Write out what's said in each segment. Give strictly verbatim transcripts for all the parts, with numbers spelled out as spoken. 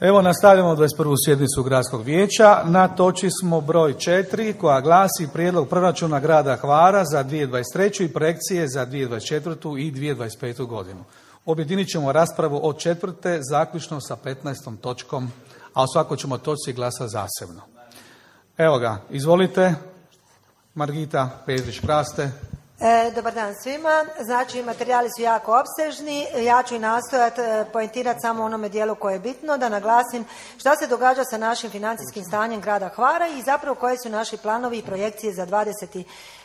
Evo nastavljamo dvadeset prvu sjednicu Gradskog vijeća. Na točki smo broj četiri koja glasi Prijedlog proračuna grada Hvara za dvije tisuće dvadeset treću i projekcije za dvije tisuće dvadeset četvrtu i dvije tisuće dvadeset petu godinu. Objedinit ćemo raspravu od četvrte zaključno sa petnaestom točkom, a o svakoj ćemo točci glasa zasebno. Evo ga, izvolite, Margita Petrić-Praste. E, dobar dan svima. Znači, materijali su jako opsežni. Ja ću i nastojati e, poentirati samo onome dijelu koje je bitno, da naglasim šta se događa sa našim financijskim stanjem grada Hvara i zapravo koji su naši planovi i projekcije za dvadeset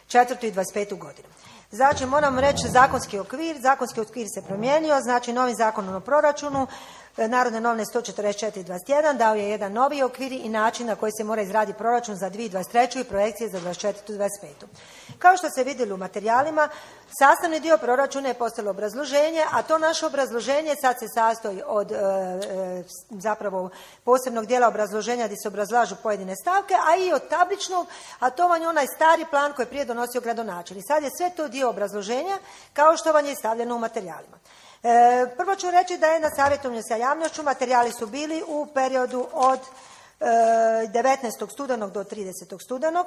četvrtu i dvadeset petu godinu. Znači, moram reći zakonski okvir. Zakonski okvir se promijenio, znači novim zakonom o proračunu, Narodne novine sto četrdeset četiri dvadeset jedan dao je jedan novi okvir i način na koji se mora izraditi proračun za dvije tisuće dvadeset treću i projekcije za dvadeset četvrtu i dvadeset petu. Kao što ste vidjeli u materijalima, sastavni dio proračuna je postalo obrazloženje, a to naše obrazloženje sad se sastoji od e, e, zapravo posebnog dijela obrazloženja gdje se obrazlažu pojedine stavke, a i od tabličnog, a to vam je onaj stari plan koji je prije donosio gradonačelnik. Sad je sve to dio obrazloženja kao što vam je stavljeno u materijalima. E, prvo ću reći da je na savjetovanju sa javnošću materijali su bili u periodu od e, devetnaestog studenog do tridesetog studenog.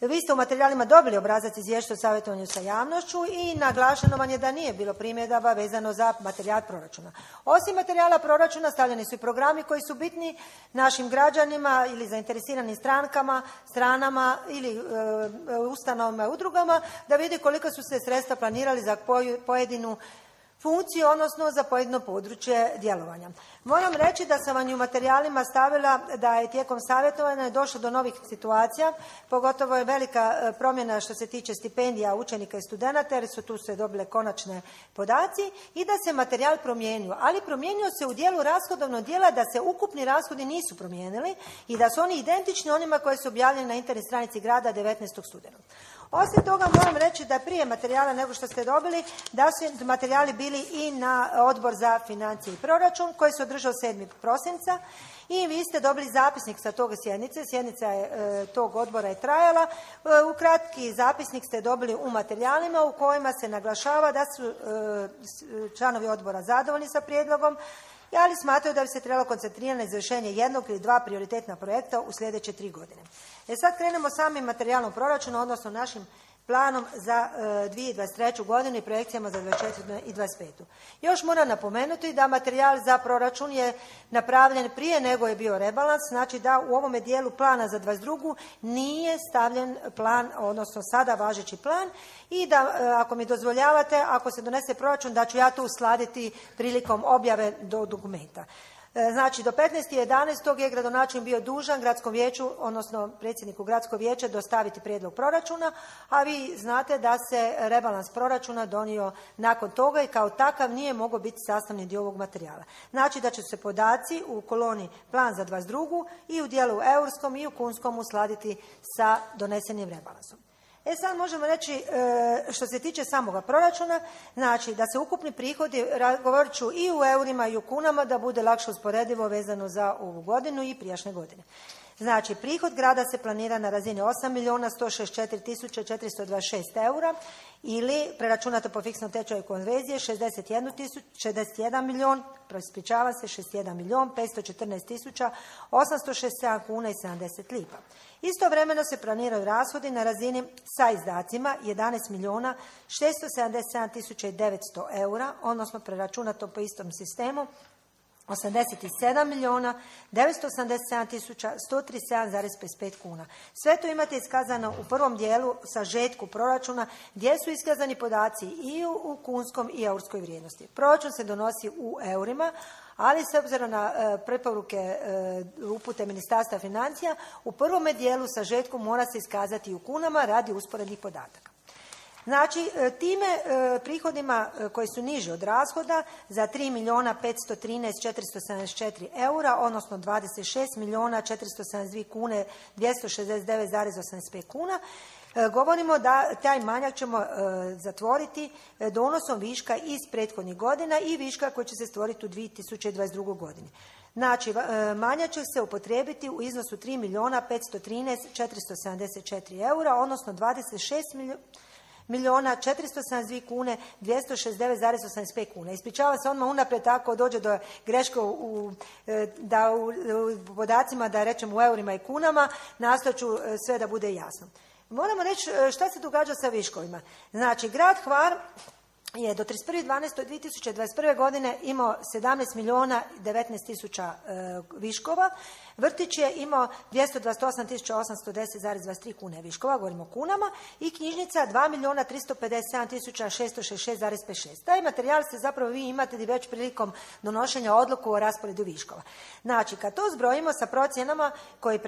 Vi ste u materijalima dobili obrazac izvješća o savjetovanju sa javnošću i naglašeno vam je da nije bilo primjedaba vezano za materijal proračuna. Osim materijala proračuna stavljeni su i programi koji su bitni našim građanima ili zainteresiranim strankama, stranama ili e, ustanovama i udrugama da vidi koliko su se sredstva planirali za pojedinu funkciju, odnosno za pojedino područje djelovanja. Moram reći da sam vam u materijalima stavila da je tijekom savjetovanja došlo do novih situacija, pogotovo je velika promjena što se tiče stipendija učenika i studenata, jer su tu se dobile konačne podaci i da se materijal promijenio, ali promijenio se u dijelu rashodovnog dijela da se ukupni rashodi nisu promijenili i da su oni identični onima koji su objavljeni na internet stranici grada devetnaestog studenog. Osim toga moram reći da prije materijala nego što ste dobili, da su materijali bili i na Odbor za financije i proračun koji se održao sedmog prosinca i vi ste dobili zapisnik sa tog sjednice. Sjednica je, e, tog odbora je trajala. E, u kratki zapisnik ste dobili u materijalima u kojima se naglašava da su e, članovi odbora zadovoljni sa prijedlogom, ali smatraju da bi se trebalo koncentrirati na izvršenje jednog ili dva prioritetna projekta u sljedeće tri godine. E sad krenemo samim materijalnom proračunu, odnosno našim planom za e, dvije tisuće dvadeset treću godinu i projekcijama za dvadeset četvrtu i dvadeset petu. Još moram napomenuti da materijal za proračun je napravljen prije nego je bio rebalans, znači da u ovome dijelu plana za dvadeset drugu nije stavljen plan, odnosno sada važeći plan i da, e, ako mi dozvoljavate, ako se donese proračun, da ću ja to uskladiti prilikom objave do dokumenta. Znači, do petnaestog jedanaestog je gradonačelnik bio dužan gradskom vijeću, odnosno predsjedniku gradskog vijeća dostaviti prijedlog proračuna, a vi znate da se rebalans proračuna donio nakon toga i kao takav nije mogao biti sastavni dio ovog materijala. Znači da će se podaci u koloni plan za dvadeset drugu i u dijelu eurskom i u kunskom uskladiti sa donesenim rebalansom. E sad možemo reći, što se tiče samoga proračuna, znači da se ukupni prihodi, govorit ću i u eurima i u kunama, da bude lakše usporedivo vezano za ovu godinu i prijašnje godine. Znači, prihod grada se planira na razini osam milijuna sto šezdeset četiri tisuće četiristo dvadeset šest eura ili preračunato po fiksnom tečaju konverzije šezdeset jedan milijun, ispričava se, šezdeset jedan milijun petsto četrnaest tisuća osamsto šezdeset sedam kuna i sedamdeset lipa. Istovremeno se planiraju rashodi na razini sa izdacima jedanaest milijuna šesto sedamdeset sedam tisuća devetsto eura, odnosno preračunato po istom sistemu osamdeset sedam milijuna devetsto osamdeset sedam tisuća sto trideset sedam zarez pedeset pet kuna. Sve to imate iskazano u prvom dijelu sažetku proračuna gdje su iskazani podaci i u, u kunskom i eurskoj vrijednosti. Proračun se donosi u eurima, ali s obzirom na e, preporuke e, upute Ministarstva financija, u prvome dijelu sažetku mora se iskazati i u kunama radi usporednih podataka. Znači, time prihodima koji su niži od rashoda za tri milijuna petsto trinaest tisuća četiristo sedamdeset četiri eura, odnosno dvadeset šest milijuna četiristo sedamdeset dvije kune dvjesto šezdeset devet zarez osamdeset pet kuna, govorimo da taj manjak ćemo zatvoriti donosom viška iz prethodnih godina i viška koji će se stvoriti u dvije tisuće dvadeset drugoj godini. Znači, manjak će se upotrijebiti u iznosu tri milijuna petsto trinaest tisuća četiristo sedamdeset četiri eura, odnosno dvadeset šest milijuna milijuna četiristo sedamdesет dvije kune dvjesto šezdeset devet zarez osamdeset pet kuna. Ispričavam se odmah unaprijed tako dođe do greške u, da u, u podacima da rečem u eurima i kunama, nastojat ću sve da bude jasno. Moramo reći šta se događa sa viškovima. Znači, grad Hvar je do trideset prvog dvanaestog dvije tisuće dvadeset prve. godine imao sedamnaest milijuna devetnaest tisuća e, viškova. Vrtić je imao dvjesto dvadeset osam tisuća osamsto deset zarez dvadeset tri kune viškova, govorimo o kunama, i knjižnica dva milijuna tristo pedeset sedam tisuća šesto šezdeset šest zarez pedeset šest. Taj materijal ste zapravo vi imate već prilikom donošenja odluku o rasporedu viškova. Znači, kad to zbrojimo sa procjenama koje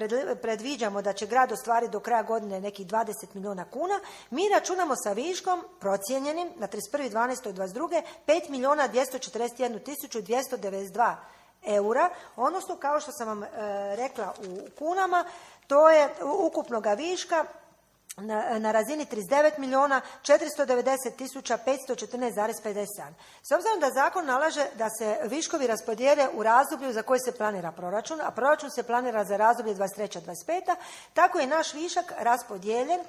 predviđamo da će grad ostvariti do kraja godine nekih dvadeset milijuna kuna, mi računamo sa viškom procijenjenim na trideset prvog dvanaestog dvadeset druge. pet milijuna dvjesto četrdeset jednu tisuću dvjesto devedeset dva eura, odnosno kao što sam vam e, rekla u kunama, to je ukupnoga viška na, na razini trideset devet milijuna četiristo devedeset tisuća petsto četrnaest zarez pedeset sedam. S obzirom da zakon nalaže da se viškovi raspodijele u razdoblju za koje se planira proračun, a proračun se planira za razdoblje dvadeset treća dvadeset peta. tako je naš višak raspodijeljen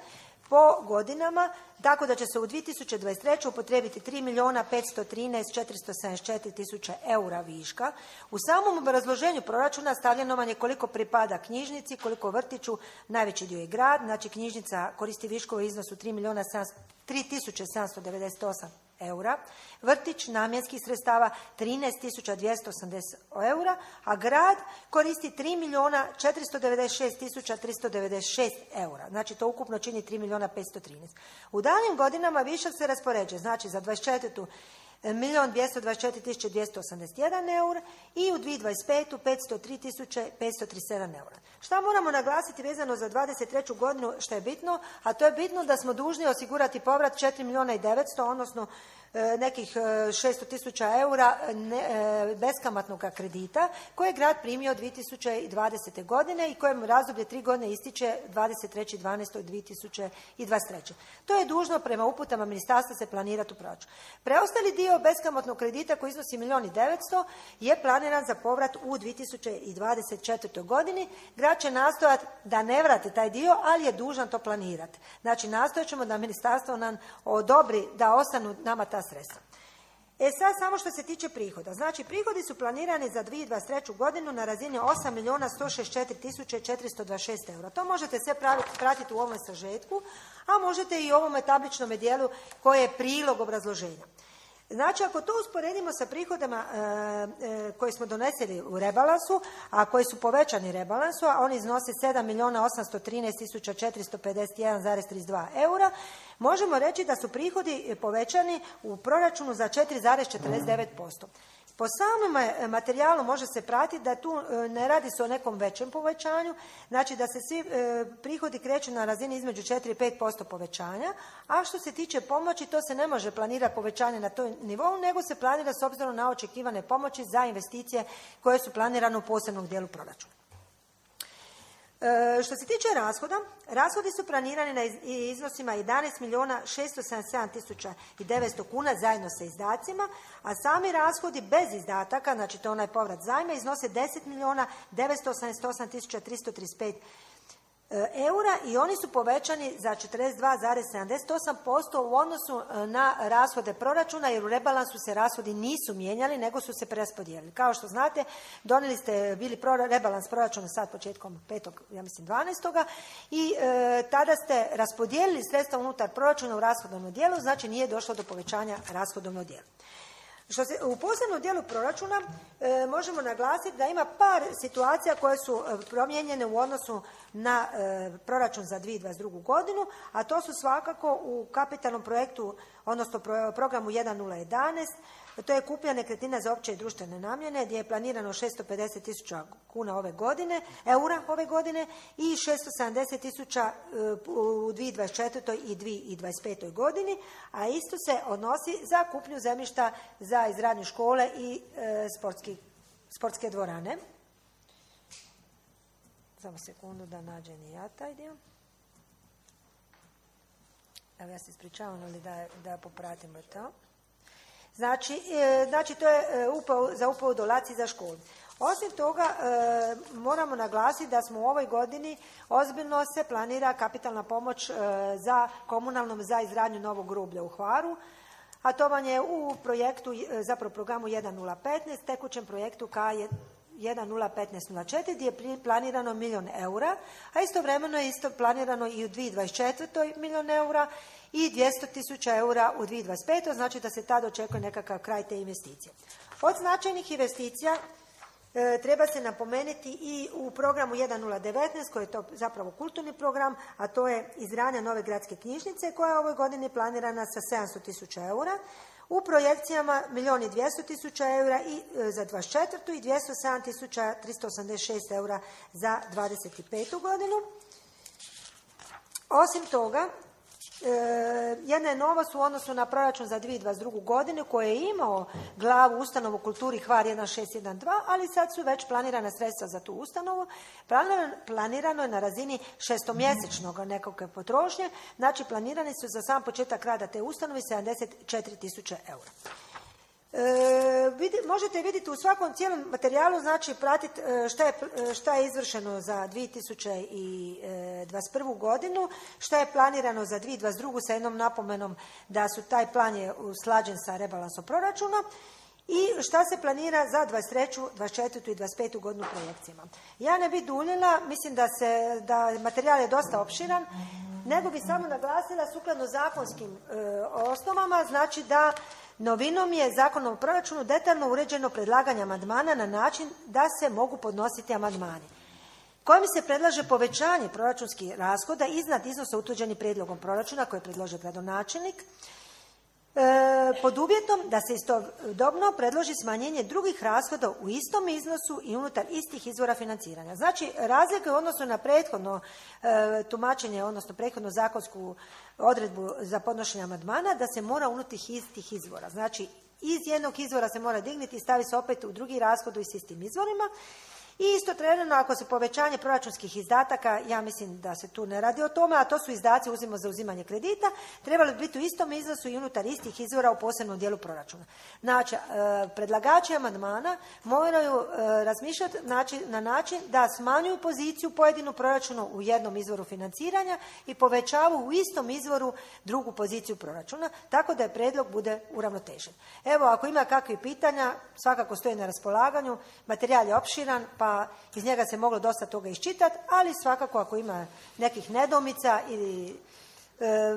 po godinama, tako da će se u dvije tisuće dvadeset trećoj upotrijebiti tri milijuna petsto trinaest četiristo sedamdeset četiri tisuće eura viška. U samom obrazloženju proračuna stavljeno vam je koliko pripada knjižnici, koliko vrtiću, najveći dio je grad, znači knjižnica koristi viškove u iznosu tri milijuna tri tisuće sedamsto devedeset osam eura, vrtić namjenskih sredstava trinaest tisuća dvjesto osamdeset eura, a grad koristi tri milijuna četiristo devedeset šest tisuća tristo devedeset šest eura. Znači to ukupno čini tri milijuna petsto trinaest. U daljim godinama višak se raspoređuje, znači za dvadeset četvrtu milijun dvjesto dvadeset četiri tisuće dvjesto osamdeset jedan eura i u dvije tisuće dvadeset petu petsto tri tisuće petsto trideset sedam eura. Šta moramo naglasiti vezano za dvadeset treću godinu što je bitno, a to je bitno da smo dužni osigurati povrat četiri milijuna i devetsto, odnosno nekih šesto tisuća eura beskamatnog kredita koje je grad primio dvije tisuće dvadesete. godine i kojem razdoblje tri godine ističe dvadeset trećeg dvanaestog dvije tisuće dvadeset treće. To je dužno prema uputama ministarstva se planirati u proračunu. Preostali dio beskamatnog kredita koji iznosi milijun i devetsto je planiran za povrat u dvije tisuće dvadeset četvrtoj. godini. Grad će nastojati da ne vrati taj dio, ali je dužan to planirati. Znači, nastojat ćemo da ministarstvo nam odobri da ostanu nama ta sredstva. E sad samo što se tiče prihoda. Znači, prihodi su planirani za dvije tisuće dvadeset treću. godinu na razini osam milijuna sto šezdeset četiri tisuće četiristo dvadeset šest eura. To možete sve pratiti u ovom sažetku, a možete i u ovome tabličnom dijelu koje je prilog obrazloženja. Znači, ako to usporedimo sa prihodama e, e, koje smo doneseli u rebalansu, a koji su povećani rebalansu, a oni iznose sedam milijuna osamsto trinaest tisuća četiristo pedeset jedan zarez trideset dva eura, možemo reći da su prihodi povećani u proračunu za četiri zarez četrdeset devet posto. Po samom materijalu može se pratiti da tu ne radi se o nekom većem povećanju, znači da se svi prihodi kreću na razini između četiri i pet posto povećanja, a što se tiče pomoći, to se ne može planirati povećanje na toj nivou, nego se planira s obzirom na očekivane pomoći za investicije koje su planirane u posebnom dijelu proračuna. E, što se tiče rashoda, rashodi su planirani na iznosima jedanaest milijuna šesto sedamdeset sedam tisuća devetsto kuna zajedno sa izdacima, a sami rashodi bez izdataka, znači to je onaj povrat zajma, iznose deset milijuna devetsto osamdeset osam tisuća tristo trideset pet eura i oni su povećani za četrdeset dva zarez sedamdeset osam posto u odnosu na rashode proračuna, jer u rebalansu se rashodi nisu mijenjali, nego su se preraspodijelili. Kao što znate, donijeli ste bili pro, rebalans proračuna sad početkom petog, ja mislim dvanaestoga i e, tada ste raspodijelili sredstva unutar proračuna u rashodovnom dijelu, znači nije došlo do povećanja rashodovnog dijela. Što se, u posebnom dijelu proračuna e, možemo naglasiti da ima par situacija koje su e, promijenjene u odnosu na e, proračun za dvije tisuće dvadeset drugu. godinu, a to su svakako u kapitalnom projektu, odnosno pro, programu jedan nula jedanaest, to je kupnja nekretnina za opće i društvene namjene, gdje je planirano šesto pedeset tisuća kuna ove godine, eura ove godine i šesto sedamdeset tisuća u dvije tisuće dvadeset četvrtoj. i dvije tisuće dvadeset petoj. godini, a isto se odnosi za kupnju zemljišta za izgradnju škole i e, sportski, sportske dvorane. Samo sekundu da nađem i ja taj dio. Evo, ja se ispričavam, ali da, da popratimo to. Znači, znači to je za upravu dolaci za školu. Osim toga, moramo naglasiti da smo u ovoj godini ozbiljno se planira kapitalna pomoć za komunalnom za izgradnju novog groblja u Hvaru, a to vam je u projektu, zapravo programu jedan nula petnaest, tekućem projektu K jedan nula petnaest nula četiri gdje je planirano milijun eura, a istovremeno je isto planirano i u dvije tisuće dvadeset četvrtoj milijun eura i dvjesto tisuća eura u dvije tisuće dvadeset petoj, znači da se tad očekuje nekakav kraj te investicije. Od značajnih investicija e, treba se napomenuti i u programu jedan nula devetnaest koji je to zapravo kulturni program, a to je izgradnja nove gradske knjižnice koja je ovoj godini planirana sa sedamsto tisuća eura. U projekcijama milijun i dvjesto tisuća eura i e, za dvadeset četvrtu i dvjesto sedam tisuća tristo osamdeset šest eura za dvadeset petu godinu. Osim toga, E, jedna je novost u odnosu na proračun za dvije tisuće dvadeset drugu godinu koji je imao glavu ustanovu kulturi Hvar jedan šest jedan dva, ali sad su već planirana sredstva za tu ustanovu. Planirano, planirano je na razini šestomjesečnog nekakve potrošnje, znači planirani su za sam početak rada te ustanove sedamdeset četiri tisuće eura. E, vidi, možete vidjeti u svakom cijelom materijalu, znači pratiti šta je, šta je izvršeno za dvije tisuće dvadeset prvu godinu, šta je planirano za dvije tisuće dvadeset drugu sa jednom napomenom da su taj plan je usklađen sa rebalansom proračuna i šta se planira za dvadeset treću, dvadeset četvrtu i dvadeset petu godinu projekcijama. Ja ne bi duljila, mislim da, se, da materijal je dosta opširan, nego bi samo naglasila sukladno zakonskim e, osnovama, znači da novinom je Zakonom o proračunu detaljno uređeno predlaganje amandmana na način da se mogu podnositi amandmani kojim se predlaže povećanje proračunskih rashoda iznad iznosa utvrđenih prijedlogom proračuna koje predloži gradonačelnik e, pod uvjetom da se istodobno predloži smanjenje drugih rashoda u istom iznosu i unutar istih izvora financiranja. Znači, razlika u odnosu na prethodno e, tumačenje, odnosno prethodnu zakonsku odredbu za podnošenje amandmana, da se mora unutar istih izvora. Znači, iz jednog izvora se mora dignuti i stavi se opet u drugi rashod i s istim izvorima. I isto trenutno, ako se povećanje proračunskih izdataka, ja mislim da se tu ne radi o tome, a to su izdaci uzimo za uzimanje kredita, trebali bi biti u istom iznosu i unutar istih izvora u posebnom dijelu proračuna. Znači, predlagači amandmana moraju razmišljati na način da smanjuju poziciju pojedinu proračunu u jednom izvoru financiranja i povećavaju u istom izvoru drugu poziciju proračuna, tako da je prijedlog bude uravnotežen. Evo, ako ima kakvih pitanja, svakako stoji na raspolaganju, materijal je opširan, pa iz njega se moglo dosta toga iščitati, ali svakako ako ima nekih nedoumica ili e,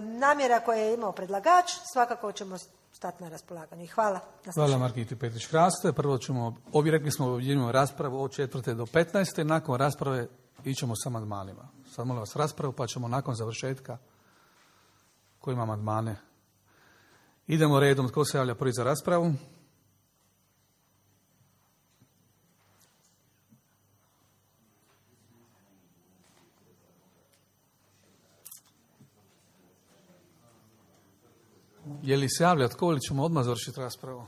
namjera koje je imao predlagač, svakako ćemo stati na raspolaganju. I hvala. Hvala Margiti Petrić-Hraste. Prvo ćemo, ovi rekli smo objedinjujemo raspravu od četvrte do petnaeste, nakon rasprave ićemo sa amandmanima. Sad molim vas raspravu, pa ćemo nakon završetka ko ima amandmane. Idemo redom, tko se javlja prvi za raspravu? Je li se javlja tko ili ćemo odmah završiti raspravu?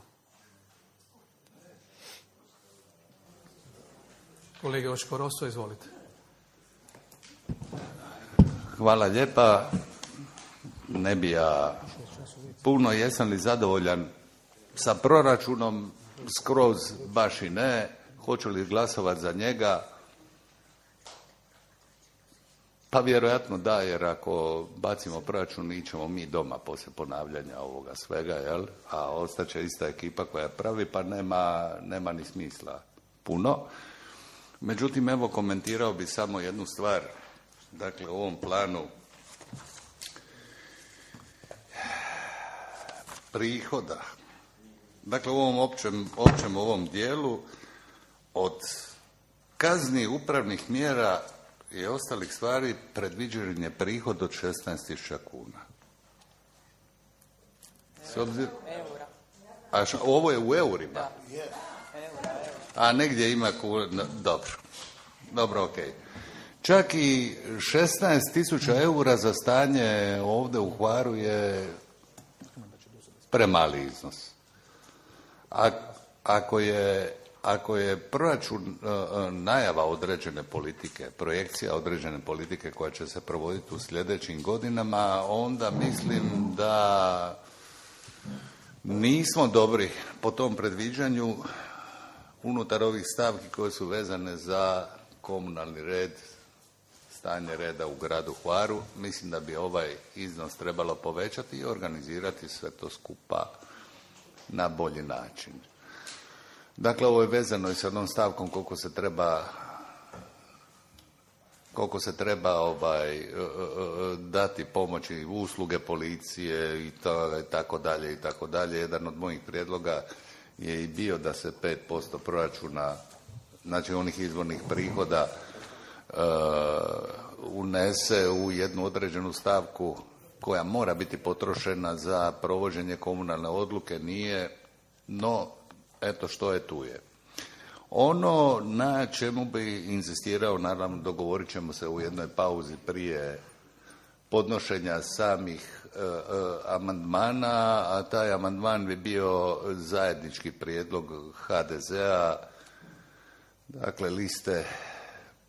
Kolega Očko Rosto, izvolite. Hvala lijepa. Ne bi ja puno, jesam li zadovoljan sa proračunom, skroz baš i ne. Hoću li glasovati za njega? Pa vjerojatno da, jer ako bacimo proračun ićemo mi doma poslije ponavljanja ovoga svega, jel? A ostaće ista ekipa koja pravi, pa nema, nema ni smisla puno. Međutim, evo komentirao bi samo jednu stvar. Dakle, u ovom planu prihoda, dakle u ovom općem, općem ovom dijelu od kazni, upravnih mjera i ostalih stvari predviđen je prihod od šesnaest tisuća kuna. S obzir... A ša, ovo je u eurima? Da. A negdje ima kuna... Dobro. Dobro, okej. Okay. Čak i šesnaest tisuća eura za stanje ovdje u Hvaru je premali iznos. A, ako je Ako je proračun najava određene politike, projekcija određene politike koja će se provoditi u sljedećim godinama, onda mislim da Nismo dobri po tom predviđanju unutar ovih stavki koje su vezane za komunalni red, stanje reda u gradu Hvaru. Mislim da bi ovaj iznos trebalo povećati i organizirati sve to skupa na bolji način. Dakle, ovo je vezano i sa jednom stavkom koliko se treba koliko se treba ovaj, dati pomoći usluge policije i tako dalje i tako dalje. Jedan od mojih prijedloga je i bio da se pet posto proračuna, znači onih izvornih prihoda, uh, unese u jednu određenu stavku koja mora biti potrošena za provođenje komunalne odluke. Nije, no eto što je tu je. Ono na čemu bi inzistirao, naravno dogovorit ćemo se u jednoj pauzi prije podnošenja samih e, e, amandmana, a taj amandman bi bio zajednički prijedlog ha de zea, dakle liste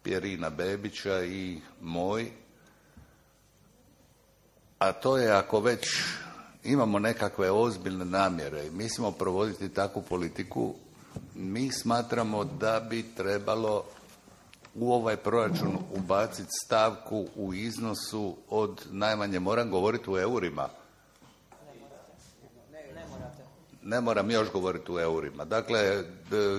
Pjerina Bebića i moj, a to je ako već imamo nekakve ozbiljne namjere i mislimo provoditi takvu politiku, mi smatramo da bi trebalo u ovaj proračun ubaciti stavku u iznosu od najmanje, moram govoriti u eurima. Ne moram još govoriti u eurima. Dakle,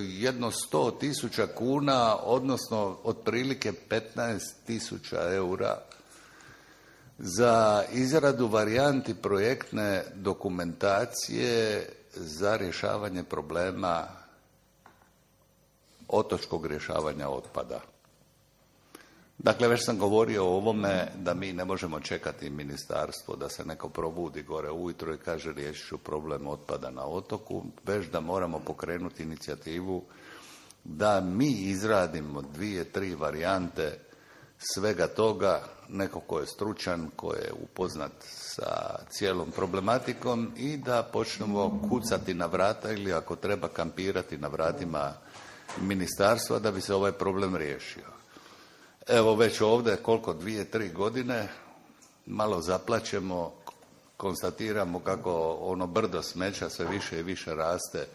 jedno sto tisuća kuna, odnosno otprilike petnaest tisuća eura za izradu varijanti projektne dokumentacije za rješavanje problema otočkog rješavanja otpada. Dakle, već sam govorio o ovome da mi ne možemo čekati ministarstvo da se neko probudi gore ujutro i kaže riješit ću problem otpada na otoku, već da moramo pokrenuti inicijativu da mi izradimo dvije, tri varijante svega toga, neko ko je stručan, ko je upoznat sa cijelom problematikom i da počnemo kucati na vrata ili ako treba kampirati na vratima ministarstva da bi se ovaj problem riješio. Evo već ovdje koliko dvije, tri godine malo zaplaćemo, konstatiramo kako ono brdo smeća sve više i više raste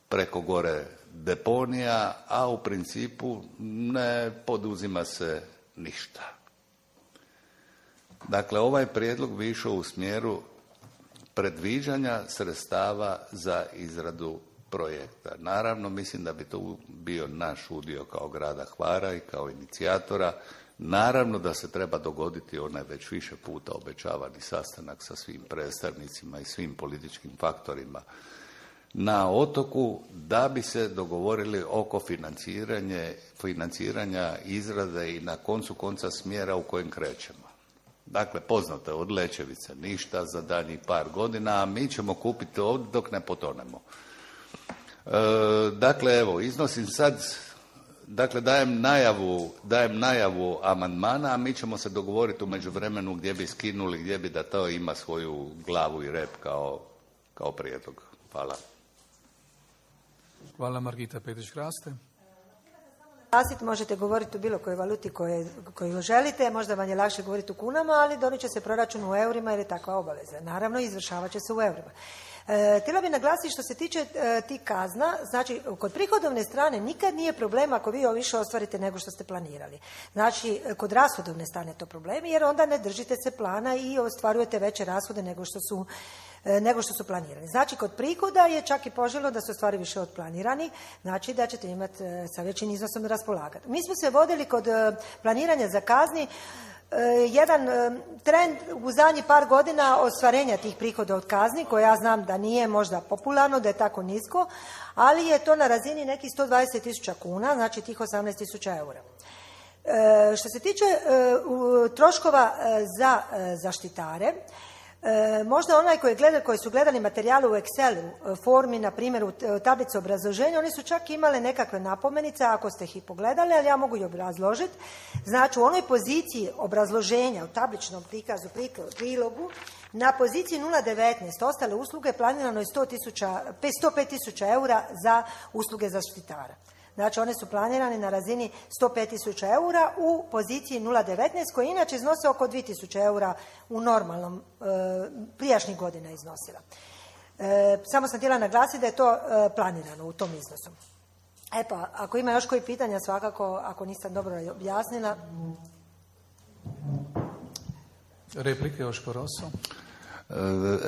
preko gore deponija, a u principu ne poduzima se ništa. Dakle, ovaj prijedlog bi išao u smjeru predviđanja sredstava za izradu projekta. Naravno, mislim da bi to bio naš udio kao grada Hvara i kao inicijatora. Naravno da se treba dogoditi onaj već više puta obećavani sastanak sa svim predstavnicima i svim političkim faktorima na otoku da bi se dogovorili oko financiranje, financiranja izrade i na koncu konca smjera u kojem krećemo. Dakle, poznato je od Lečevice ništa za daljnjih par godina, a mi ćemo kupiti ovdje dok ne potonemo. E, dakle, evo, iznosim sad, dakle, dajem najavu, dajem najavu amandmana, a mi ćemo se dogovoriti u međuvremenu gdje bi skinuli, gdje bi da to ima svoju glavu i rep kao, kao prijedlog. Hvala. Hvala, Margita Petrić-Hraste. Možete govoriti u bilo kojoj valuti koje, koju želite, možda vam je lakše govoriti u kunama, ali donijet će se proračun u eurima jer je takva obaveza. Naravno, izvršavat će se u eurima. E, htjela bih naglasiti što se tiče e, tih kazna, znači kod prihodovne strane nikad nije problem ako vi više ostvarite nego što ste planirali. Znači, kod rashodovne strane je to problem jer onda ne držite se plana i ostvarujete veće rashode nego što su nego što su planirani. Znači, kod prihoda je čak i poželjno da se ostvari više od planirani, znači da ćete imati sa većim iznosom raspolagati. Mi smo se vodili kod planiranja za kazni jedan trend u zadnjih par godina ostvarenja tih prihoda od kazni, koje ja znam da nije možda popularno, da je tako nisko, ali je to na razini nekih sto dvadeset tisuća kuna, znači tih osamnaest tisuća eura. Što se tiče troškova za zaštitare, E, možda onaj koji, gleda, koji su gledali materijale u Excelu, formi, na primjer u tablici obrazloženja, oni su čak imali nekakve napomenice, ako ste ih i pogledali, ali ja mogu i obrazložiti. Znači, u onoj poziciji obrazloženja, u tabličnom prikazu, prilogu, na poziciji nula devetnaest ostale usluge planirano je sto pet tisuća eura za usluge zaštitara. Znači, one su planirane na razini sto pet tisuća eura u poziciji nula devetnaest, koja inače iznose oko dvije tisuće eura u normalnom, e, prijašnjih godina iznosila. E, samo sam htjela naglasiti da je to e, planirano u tom iznosu. E pa, ako ima još koji pitanja, svakako, ako nisam dobro objasnila. Replike, Joško Rosso.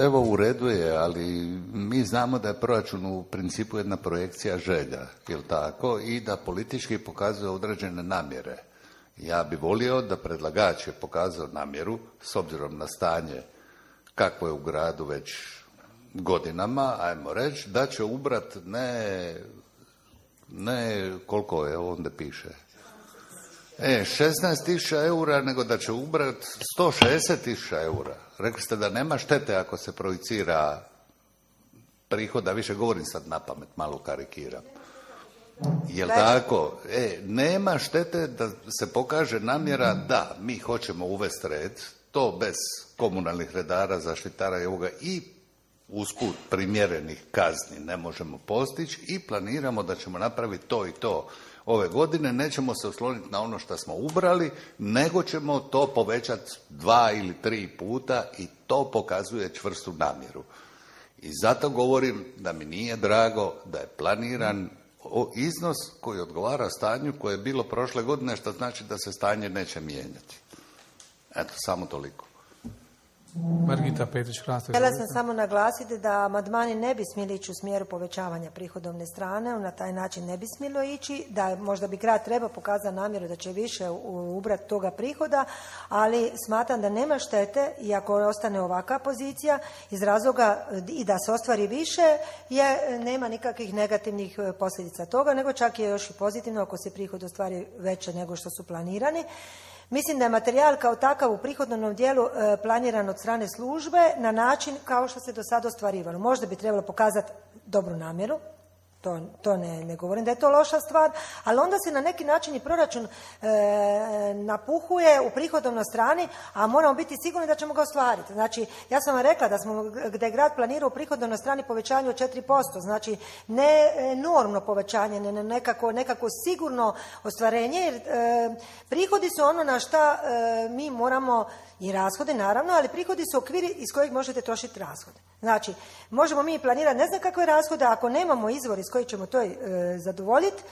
Evo, u redu je, ali mi znamo da je proračun u principu jedna projekcija želja, jel tako, i da politički pokazuje određene namjere. Ja bi volio da predlagač je pokazao namjeru, s obzirom na stanje kakvo je u gradu već godinama, ajmo reći, da će ubrat ne, ne koliko je ovdje piše, E, šesnaest tisuća eura, nego da će ubrat sto šezdeset tisuća eura. Rekli ste da nema štete ako se projicira prihoda, više govorim sad na pamet, malo karikiram. Jel tako? E, nema štete da se pokaže namjera da mi hoćemo uvesti red, to bez komunalnih redara, zaštitara i ovoga i usput primjerenih kazni ne možemo postići i planiramo da ćemo napraviti to i to. Ove godine nećemo se osloniti na ono što smo ubrali, nego ćemo to povećati dva ili tri puta i to pokazuje čvrstu namjeru. I zato govorim da mi nije drago da je planiran iznos koji odgovara stanju koje je bilo prošle godine, što znači da se stanje neće mijenjati. Eto, samo toliko. Margita Petrić-Hrasto. Htjela sam samo naglasiti da amandmani ne bi smjeli ići u smjeru povećavanja prihodovne strane, na taj način ne bi smjelo ići, da možda bi grad trebao pokazati namjeru da će više ubrati toga prihoda, ali smatram da nema štete i ako ostane ovakva pozicija iz razloga i da se ostvari više, je, nema nikakvih negativnih posljedica toga, nego čak je još i pozitivno ako se prihod ostvari veće nego što su planirani. Mislim da je materijal kao takav u prihodovnom dijelu e, planiran od strane službe na način kao što se do sada ostvarivalo. Možda bi trebalo pokazati dobru namjeru, to, to ne, ne govorim da je to loša stvar, ali onda se na neki način i proračun e, napuhuje u prihodovnoj strani, a moramo biti sigurni da ćemo ga ostvariti. Znači, ja sam vam rekla da smo, gdje je grad planirao u prihodovnoj strani povećanje od četiri posto, znači ne enormno povećanje, ne nekako, nekako sigurno ostvarenje, jer e, prihodi su ono na šta e, mi moramo, i rashode naravno, ali prihodi su okviri iz kojeg možete trošiti rashode. Znači, možemo mi planirati ne znam kakve rashode, ako nemamo izvor iz kojih ćemo to e, zadovoljiti,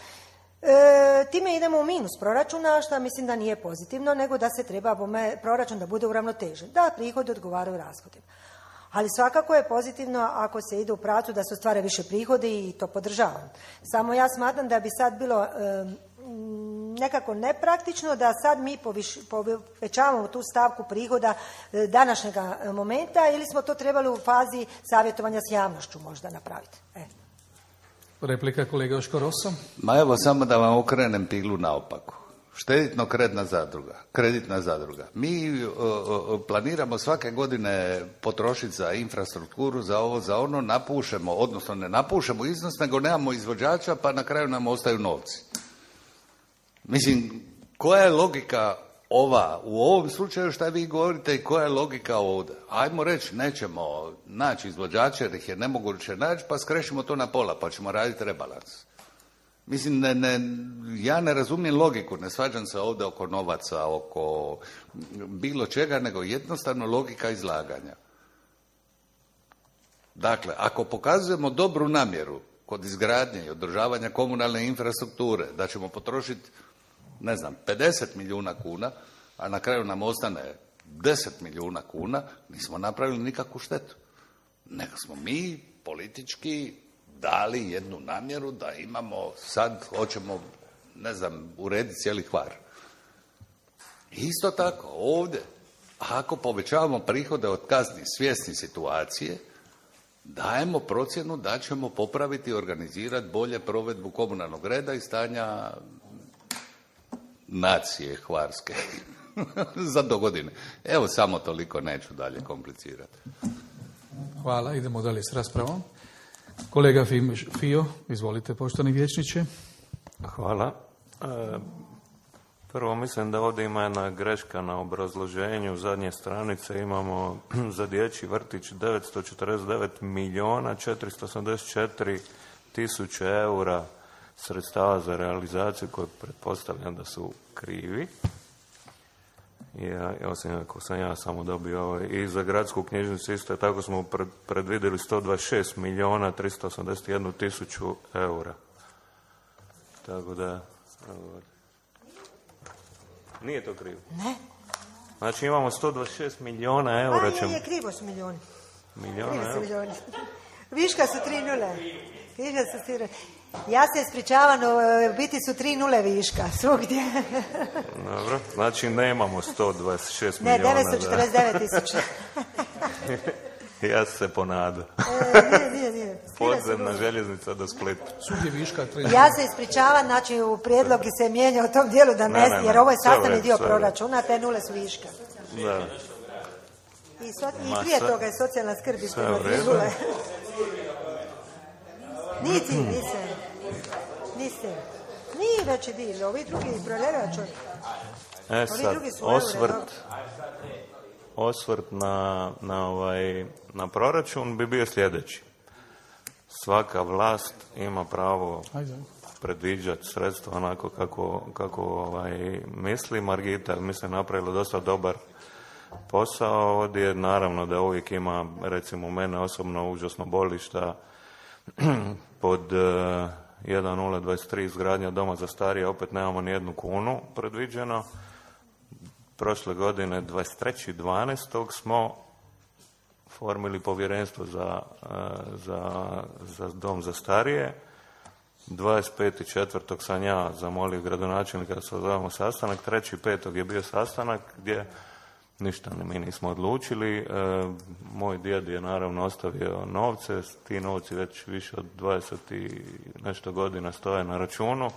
e, time idemo u minus proračuna, što mislim da nije pozitivno, nego da se treba bome, proračun da bude uravnotežen, da prihodi odgovaraju rashodima. Ali svakako je pozitivno ako se ide u pravcu da se ostvare više prihodi i to podržavam. Samo ja smatram da bi sad bilo e, nekako nepraktično da sad mi poviš, povećavamo tu stavku prihoda e, današnjega momenta, ili smo to trebali u fazi savjetovanja s javnošću možda napraviti. E. Replika kolega Joško Rosso. Ma evo, samo da vam okrenem piglu naopako. Šteditno-kreditna zadruga, kreditna zadruga. Mi uh, uh, planiramo svake godine potrošiti za infrastrukturu, za ovo, za ono, napušemo, odnosno ne napušemo iznos, nego nemamo izvođača, pa na kraju nam ostaju novci. Mislim, koja je logika ova, u ovom slučaju šta vi govorite i koja je logika ovdje? Ajmo reći, nećemo naći izvođače jer ih je nemoguće naći, pa skrešimo to na pola, pa ćemo raditi rebalans. Mislim, ne, ne, ja ne razumijem logiku, ne svađam se ovdje oko novaca, oko bilo čega, nego jednostavno logika izlaganja. Dakle, ako pokazujemo dobru namjeru kod izgradnje i održavanja komunalne infrastrukture, da ćemo potrošiti, ne znam, pedeset milijuna kuna, a na kraju nam ostane deset milijuna kuna, nismo napravili nikakvu štetu. Nego smo mi politički dali jednu namjeru da imamo, sad hoćemo, ne znam, urediti cijeli Hvar. Isto tako, ovdje, ako povećavamo prihode od kazni svjesni situacije, dajemo procjenu da ćemo popraviti i organizirati bolje provedbu komunalnog reda i stanja nacije hvarske za do godine. Evo, samo toliko, neću dalje komplicirati. Hvala, idemo dalje s raspravom. Kolega Fio, izvolite, poštovani vijećniče. Hvala. E, prvo mislim da ovdje ima jedna greška na obrazloženju. Zadnje stranice imamo za dječji vrtić devetsto četrdeset devet milijuna četiristo osamdeset četiri tisuće eura sredstava za realizaciju koje pretpostavljam da su krivi. Ja, osim ako sam ja samo dobio ovaj. I za gradsku knjižnicu isto tako smo pred, predvidjeli sto dvadeset šest milijuna tristo osamdeset jednu tisuću eura. Tako da... Nije to krivo? Ne. Znači imamo sto dvadeset šest milijuna eura. A, je, je, krivo su milijuni. Milijuna Krivo su eura? milijuni. Viška su tri nule. Viška su tri nule. Ja se ispričavam, u biti su tri nule viška, svugdje. Dobro, znači nemamo sto dvadeset šest ne, milijuna. Ne, devetsto četrdeset devet tisuća. Ja se ponadam. E, nije, nije, nije. Podzemna željeznica do Splita. Svugdje viška. tri. Ja se ispričavam, znači u prijedlog se mijenja u tom dijelu da ne, ne, ne, ne. jer ovo je Sve sastavni vred, dio sve proračuna, te nule su viška. Da. I, so, i Ma, prije sve- toga je socijalna skrb sve ispredno u redu. nule. Niti, nisam. Nisam. Nije veći dio, ovi drugi proljeraču. E Ovi sad, drugi su eure, osvrt, osvrt na, na, ovaj, na proračun bi bio sljedeći. Svaka vlast ima pravo Ajde. predviđati sredstva onako kako, kako ovaj, misli. Margita mislim napravila dosta dobar posao ovdje. Naravno da uvijek ima, recimo mene osobno užasno boli šta pod uh, jedan nula dvadeset tri izgradnja doma za starije opet nemamo ni jednu kunu predviđeno. Prošle godine dvadeset trećeg dvanaestog smo formili povjerenstvo za, uh, za, za dom za starije. dvadeset petog četvrtog sam ja zamolio gradonačelnika da se odvojamo sastanak. trećeg petog je bio sastanak gdje ništa mi nismo odlučili. E, moj djed je naravno ostavio novce, ti novci već više od dvadeset i nešto godina stoje na računu.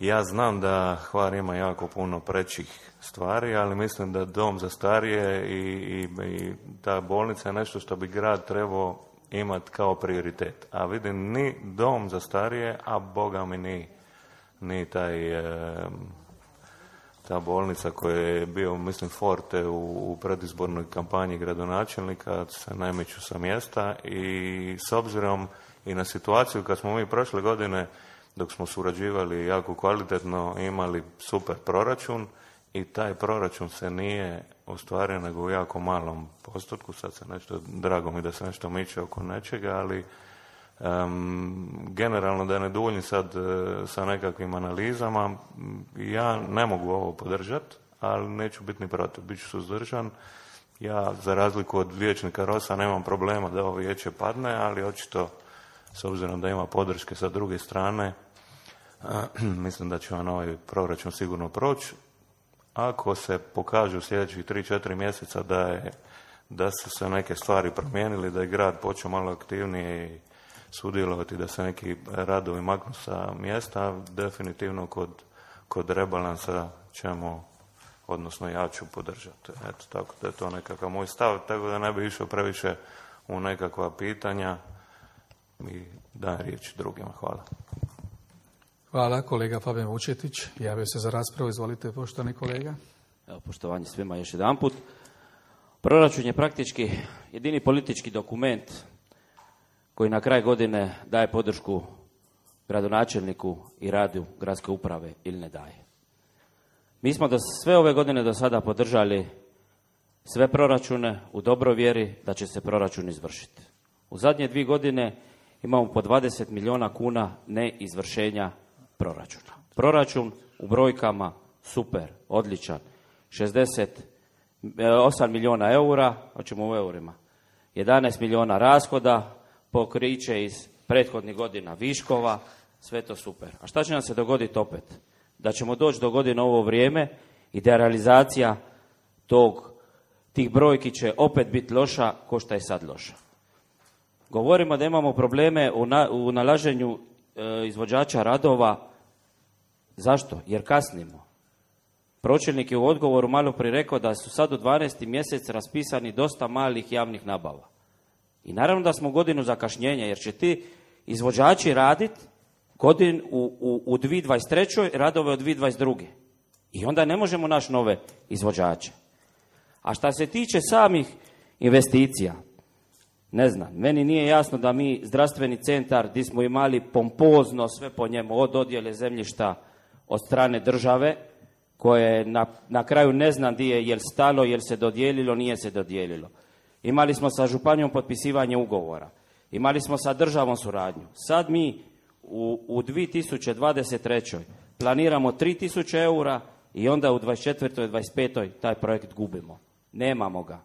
Ja znam da Hvar ima jako puno prećih stvari, ali mislim da dom za starije i, i, i ta bolnica je nešto što bi grad trebao imati kao prioritet. A vidim, ni dom za starije, a boga mi ni, ni taj... E, ta bolnica koja je bio, mislim, forte u, u predizbornoj kampanji gradonačelnika se najmiču sa mjesta i s obzirom i na situaciju kad smo mi prošle godine, dok smo surađivali jako kvalitetno, imali super proračun i taj proračun se nije ostvario nego u jako malom postotku. Sad se nešto, drago mi da se nešto miče oko nečega, ali Um, generalno da ne duljim sad uh, sa nekakvim analizama, ja ne mogu ovo podržati, ali neću biti ni protiv, bit ću suzdržan. Ja, za razliku od vijećnika Rosa, nemam problema da ovo vijeće padne, ali očito, s obzirom da ima podrške sa druge strane, uh, mislim da će vam ovaj proračun sigurno proći. Ako se pokažu u sljedećih tri četiri mjeseca da, je, da su se neke stvari promijenili, da je grad počeo malo aktivnije i sudjelovati, da se neki radovi maknu sa mjesta, definitivno kod, kod rebalansa ćemo, odnosno ja ću podržati. Eto, tako da je to nekakav moj stav, tako da ne bi išao previše u nekakva pitanja i dajem riječ drugima. Hvala. Hvala, kolega Fabijan Vučetić. Javio se za raspravu, izvolite, poštovani kolega. Evo, poštovanje svima još jedanput. Proračun je praktički jedini politički dokument koji na kraj godine daje podršku gradonačelniku i radu gradske uprave ili ne daje. Mi smo do, sve ove godine do sada podržali sve proračune u dobroj vjeri da će se proračun izvršiti. U zadnje dvije godine imamo po dvadeset milijuna kuna neizvršenja proračuna. Proračun u brojkama super, odličan, šezdeset osam milijuna eura, hoćemo u eurima, jedanaest milijuna rashoda, pokriće iz prethodnih godina viškova, sve to super. A šta će nam se dogoditi opet? Da ćemo doći do godine ovo vrijeme i da realizacija tog, tih brojki će opet biti loša ko što je sad loša. Govorimo da imamo probleme u, na, u nalaženju e, izvođača radova. Zašto? Jer kasnimo. Pročelnik je u odgovoru malo prije rekao da su sad u dvanaesti mjesec raspisani dosta malih javnih nabava. I naravno da smo godinu zakašnjenja, jer će ti izvođači raditi godin u, u, u dvije tisuće dvadeset trećoj radove od dvije tisuće dvadeset druge. I onda ne možemo naći nove izvođače. A šta se tiče samih investicija, ne znam, meni nije jasno da mi zdravstveni centar gdje smo imali pompozno sve po njemu, od dodjele zemljišta od strane države, koje na, na kraju ne znam di je, jel stalo, jel se dodijelilo, nije se dodijelilo. Imali smo sa županijom potpisivanje ugovora. Imali smo sa državom suradnju. Sad mi u, u dvije tisuće dvadeset trećoj planiramo tri tisuće eura i onda u dvadeset četvrtoj i dvadeset petoj taj projekt gubimo. Nemamo ga.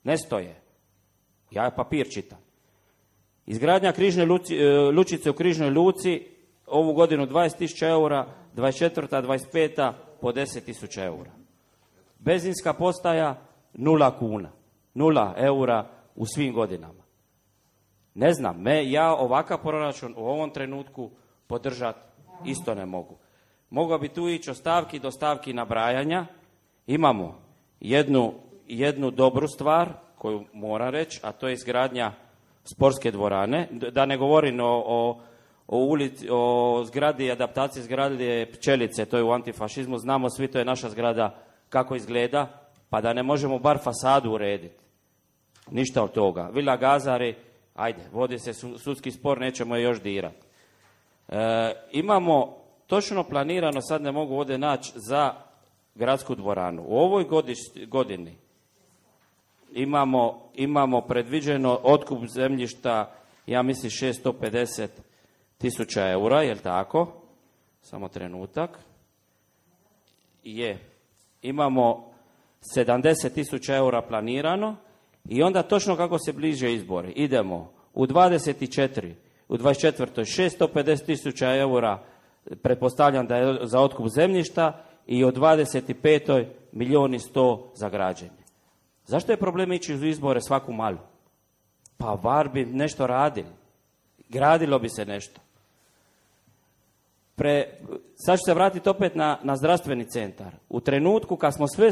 Ne stoje. Ja papir čitam. Izgradnja križne luci, lučice u Križnoj luci ovu godinu dvadeset tisuća eura, dvadeset četvrta dvadeset peta po deset tisuća eura. Benzinska postaja nula kuna. Nula eura u svim godinama. Ne znam, me, ja ovakav proračun u ovom trenutku podržati isto ne mogu. Mogao bi tu ići od stavki do stavki nabrajanja. Imamo jednu, jednu dobru stvar koju moram reći, a to je izgradnja sportske dvorane. Da ne govorim o, o, o, ulici, o zgradi, adaptaciji zgrade Pčelice, to je u antifašizmu, znamo svi, to je naša zgrada kako izgleda, pa da ne možemo bar fasadu urediti. Ništa od toga. Vila Gazari, ajde, vodi se sudski spor, nećemo je još dirati. E, imamo točno planirano, sad ne mogu ovdje naći, za gradsku dvoranu. U ovoj godiš, godini imamo, imamo predviđeno otkup zemljišta, ja mislim šesto pedeset tisuća eura, jel tako? Samo trenutak. Je. Imamo sedamdeset tisuća eura planirano i onda točno kako se bliže izbori. Idemo u dvadeset četiri, u dvadeset četvrtoj šesto pedeset tisuća eura, pretpostavljam da je za otkup zemljišta, i u dvadeset petoj milijun i sto za građenje. Zašto je problem ići u izbore svaku malu? Pa var bi nešto radili. Gradilo bi se nešto. Pre, sad ću se vratiti opet na, na zdravstveni centar. U trenutku kad smo sve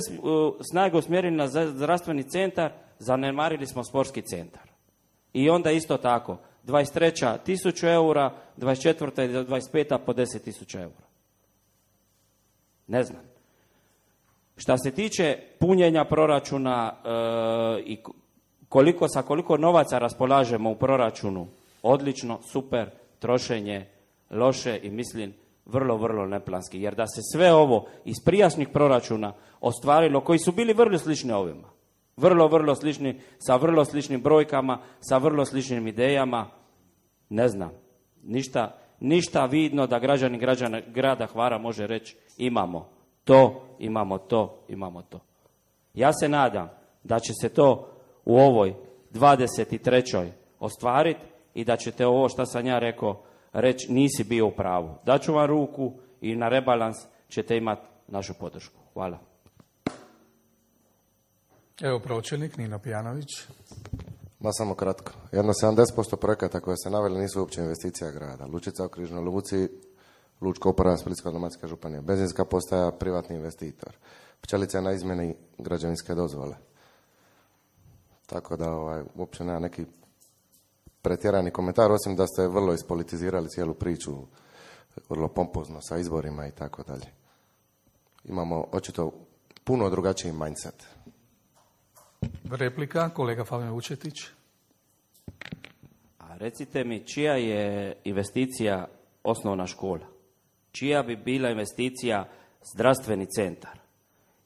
snage usmjerili na zdravstveni centar, zanemarili smo sportski centar. I onda isto tako, dvadeset treća tisuću eura, dvadeset četvrta i dvadeset peta po deset tisuća eura. Ne znam. Šta se tiče punjenja proračuna e, i koliko sa koliko novaca raspolažemo u proračunu, odlično, super, trošenje loše i mislim vrlo, vrlo neplanski. Jer da se sve ovo iz prijašnjih proračuna ostvarilo, koji su bili vrlo slični ovima, vrlo, vrlo slični, sa vrlo sličnim brojkama, sa vrlo sličnim idejama, ne znam, ništa, ništa vidno da građani građana grada Hvara može reći imamo to, imamo to, imamo to. Ja se nadam da će se to u ovoj dvadeset trećoj ostvariti i da ćete ovo što sam ja rekao reći nisi bio u pravu. Daću vam ruku i na rebalans ćete imati našu podršku. Hvala. Evo pročelnik Nino Pijanović. Ma samo kratko. Jedno sedamdeset posto projekata koje se naveli nisu uopće investicija grada. Lučica u Križnoj luci, Lučka uprava Splitsko-dalmatinska županija. Benzinska postaja, privatni investitor. Pčelica na izmjeni građevinske dozvole. Tako da ovaj, uopće nema neki pretjerani komentar, osim da ste vrlo ispolitizirali cijelu priču, vrlo pompozno sa izborima i tako dalje. Imamo očito puno drugačiji mindset. Replika, kolega Fabijan Vučetić. A recite mi, čija je investicija osnovna škola? Čija bi bila investicija zdravstveni centar?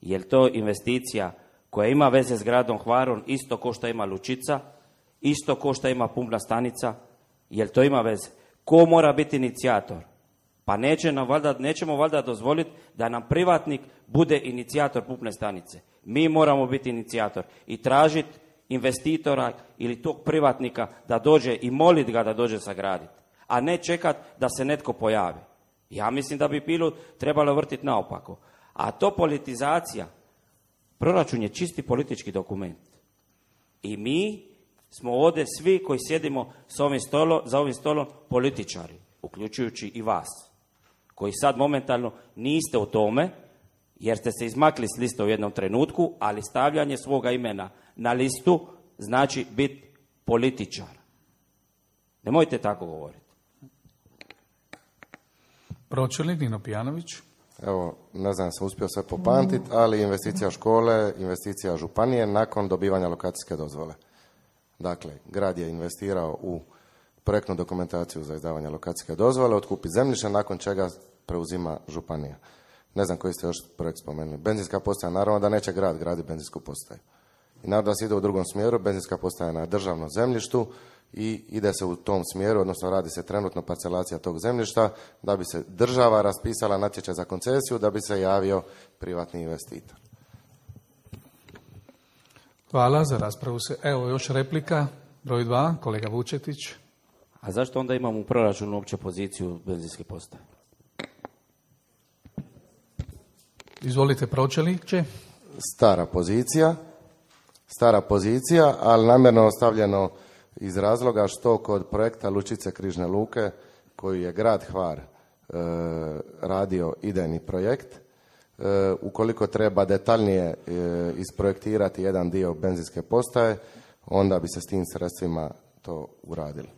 Je li to investicija koja ima veze s gradom Hvarom isto ko što ima Lučica, isto ko što ima pumpna stanica? Je li to ima veze? Ko mora biti inicijator? Pa neće nam valjda, nećemo valjda dozvoliti da nam privatnik bude inicijator pumpne stanice. Mi moramo biti inicijator i tražiti investitora ili tog privatnika da dođe i moliti ga da dođe sagraditi, a ne čekati da se netko pojavi. Ja mislim da bi pilu trebalo vrtiti naopako. A to politizacija, proračun je čisti politički dokument. I mi smo ovdje svi koji sjedimo s ovim stolom, za ovim stolom političari, uključujući i vas, koji sad momentalno niste u tome, jer ste se izmakli s liste u jednom trenutku, ali stavljanje svoga imena na listu znači biti političar. Nemojte tako govoriti. Pročelnik Nino Pijanović. Evo, ne znam, sam uspio sve popamtiti, ali investicija škole, investicija županije nakon dobivanja lokacijske dozvole. Dakle, grad je investirao u projektnu dokumentaciju za izdavanje lokacijske dozvole, otkupi zemljište, nakon čega preuzima županija. Ne znam koji ste još projekt spomenuli. Benzinska postaja, naravno da neće grad graditi benzinsku postaju. I naravno da se ide u drugom smjeru, benzinska postaja na državnom zemljištu i ide se u tom smjeru, odnosno radi se trenutno parcelacija tog zemljišta da bi se država raspisala natječaj za koncesiju, da bi se javio privatni investitor. Hvala, za raspravu se. Evo još replika, broj dva, kolega Vučetić. A zašto onda imamo u proračunu uopće poziciju benzinske postaje? Izvolite, pročelniče. Stara pozicija, stara pozicija, ali namjerno ostavljeno iz razloga što kod projekta Lučice Križne luke, koji je grad Hvar e, radio idejni projekt, e, ukoliko treba detaljnije e, isprojektirati jedan dio benzinske postaje, onda bi se s tim sredstvima to uradilo.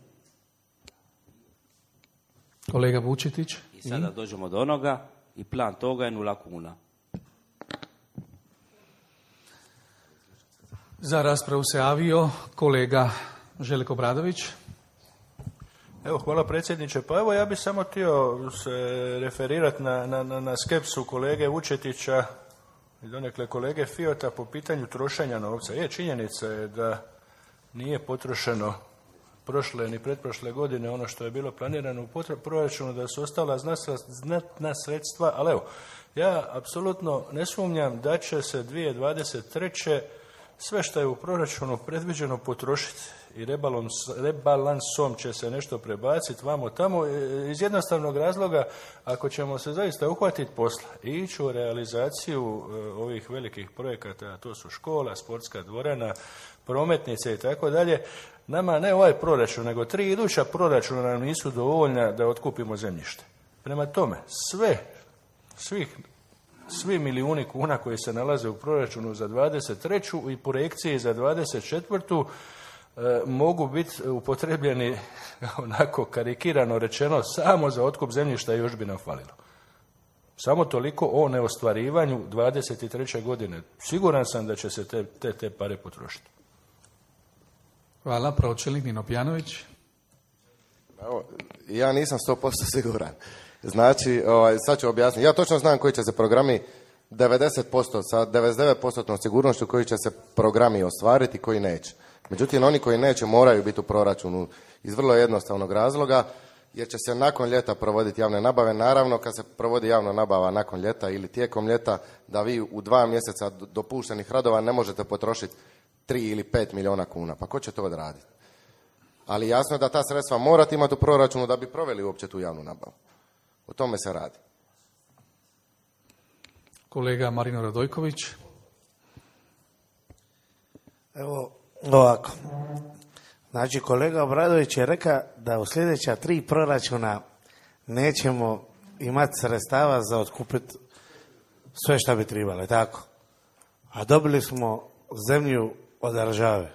Kolega Vučetić. I sada dođemo do onoga i plan toga je nula kuna. Za raspravu se javio kolega Željko Bradović. Evo, hvala predsjedniče. Pa evo, ja bih samo htio se referirati na, na, na skepsu kolege Vučetića i donekle kolege Fijota po pitanju trošenja novca. Je, činjenica je da nije potrošeno prošle ni pretprošle godine ono što je bilo planirano u proračunu, da su ostala znatna sredstva, ali evo, ja apsolutno ne sumnjam da će se dvije tisuće dvadeset treće sve što je u proračunu predviđeno potrošiti i rebalans, rebalansom će se nešto prebaciti vamo tamo iz jednostavnog razloga, ako ćemo se zaista uhvatiti posla i ići u realizaciju ovih velikih projekata, a to su škola, sportska dvorana, prometnice i tako dalje, nama ne ovaj proračun, nego tri iduća proračuna nam nisu dovoljna da otkupimo zemljište. Prema tome, sve, svih Svi milijuni kuna koji se nalaze u proračunu za dvadeset treću i projekciji za dvadeset četvrtu e, mogu biti upotrebljeni, onako karikirano rečeno, samo za otkup zemljišta i još bi nam falilo. Samo toliko o neostvarivanju dvadeset treće godine. Siguran sam da će se te, te, te pare potrošiti. Hvala, pročelnik Nino Pjanović. Evo, ja nisam sto posto siguran. Znači, ovaj, sad ću objasniti. Ja točno znam koji će se programi, devedeset posto sa devedeset devet posto sigurnošću koji će se programi ostvariti, koji neće. Međutim, oni koji neće moraju biti u proračunu iz vrlo jednostavnog razloga, jer će se nakon ljeta provoditi javne nabave. Naravno, kad se provodi javna nabava nakon ljeta ili tijekom ljeta, da vi u dva mjeseca dopuštenih radova ne možete potrošiti tri ili pet milijuna kuna. Pa ko će to odraditi? Ali jasno je da ta sredstva morate imati u proračunu da bi proveli uopće tu javnu nabavu. O tome se radi. Kolega Marino Radojković. Evo ovako. Znači, kolega Obradović je rekao da u sljedeća tri proračuna nećemo imati sredstava za otkupiti sve što bi trebalo, tako? A dobili smo zemlju od države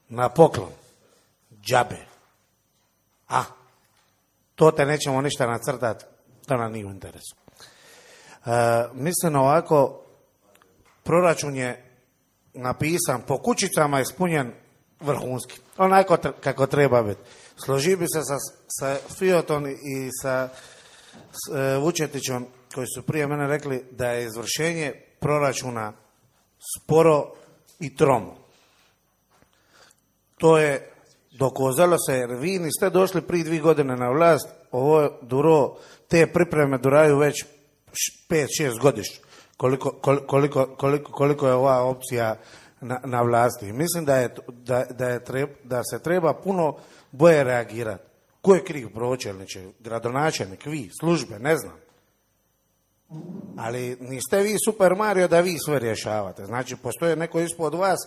na poklon, džabe. A, to te nećemo ništa nacrtati, to nam nije u interesu. E, mislim ovako, proračun je napisan, po kućicama ispunjen vrhunski, onako kako treba biti. Složi bi se sa, sa Fijotom i sa s, e, Vučetićom, koji su prije mene rekli da je izvršenje proračuna sporo i tromo. To je dokozalo se, jer vi niste došli prije dvije godine na vlast, ovo duro, te pripreme duraju već pet šest godišnje, koliko, koliko, koliko, koliko je ova opcija na, na vlasti. Mislim da, je, da, da, je treb, da se treba puno bolje reagirati. Ko je kriv, pročelniče, gradonačelnik, vi, službe, ne znam. Ali niste vi Super Mario da vi sve rješavate. Znači, postoje neko ispod vas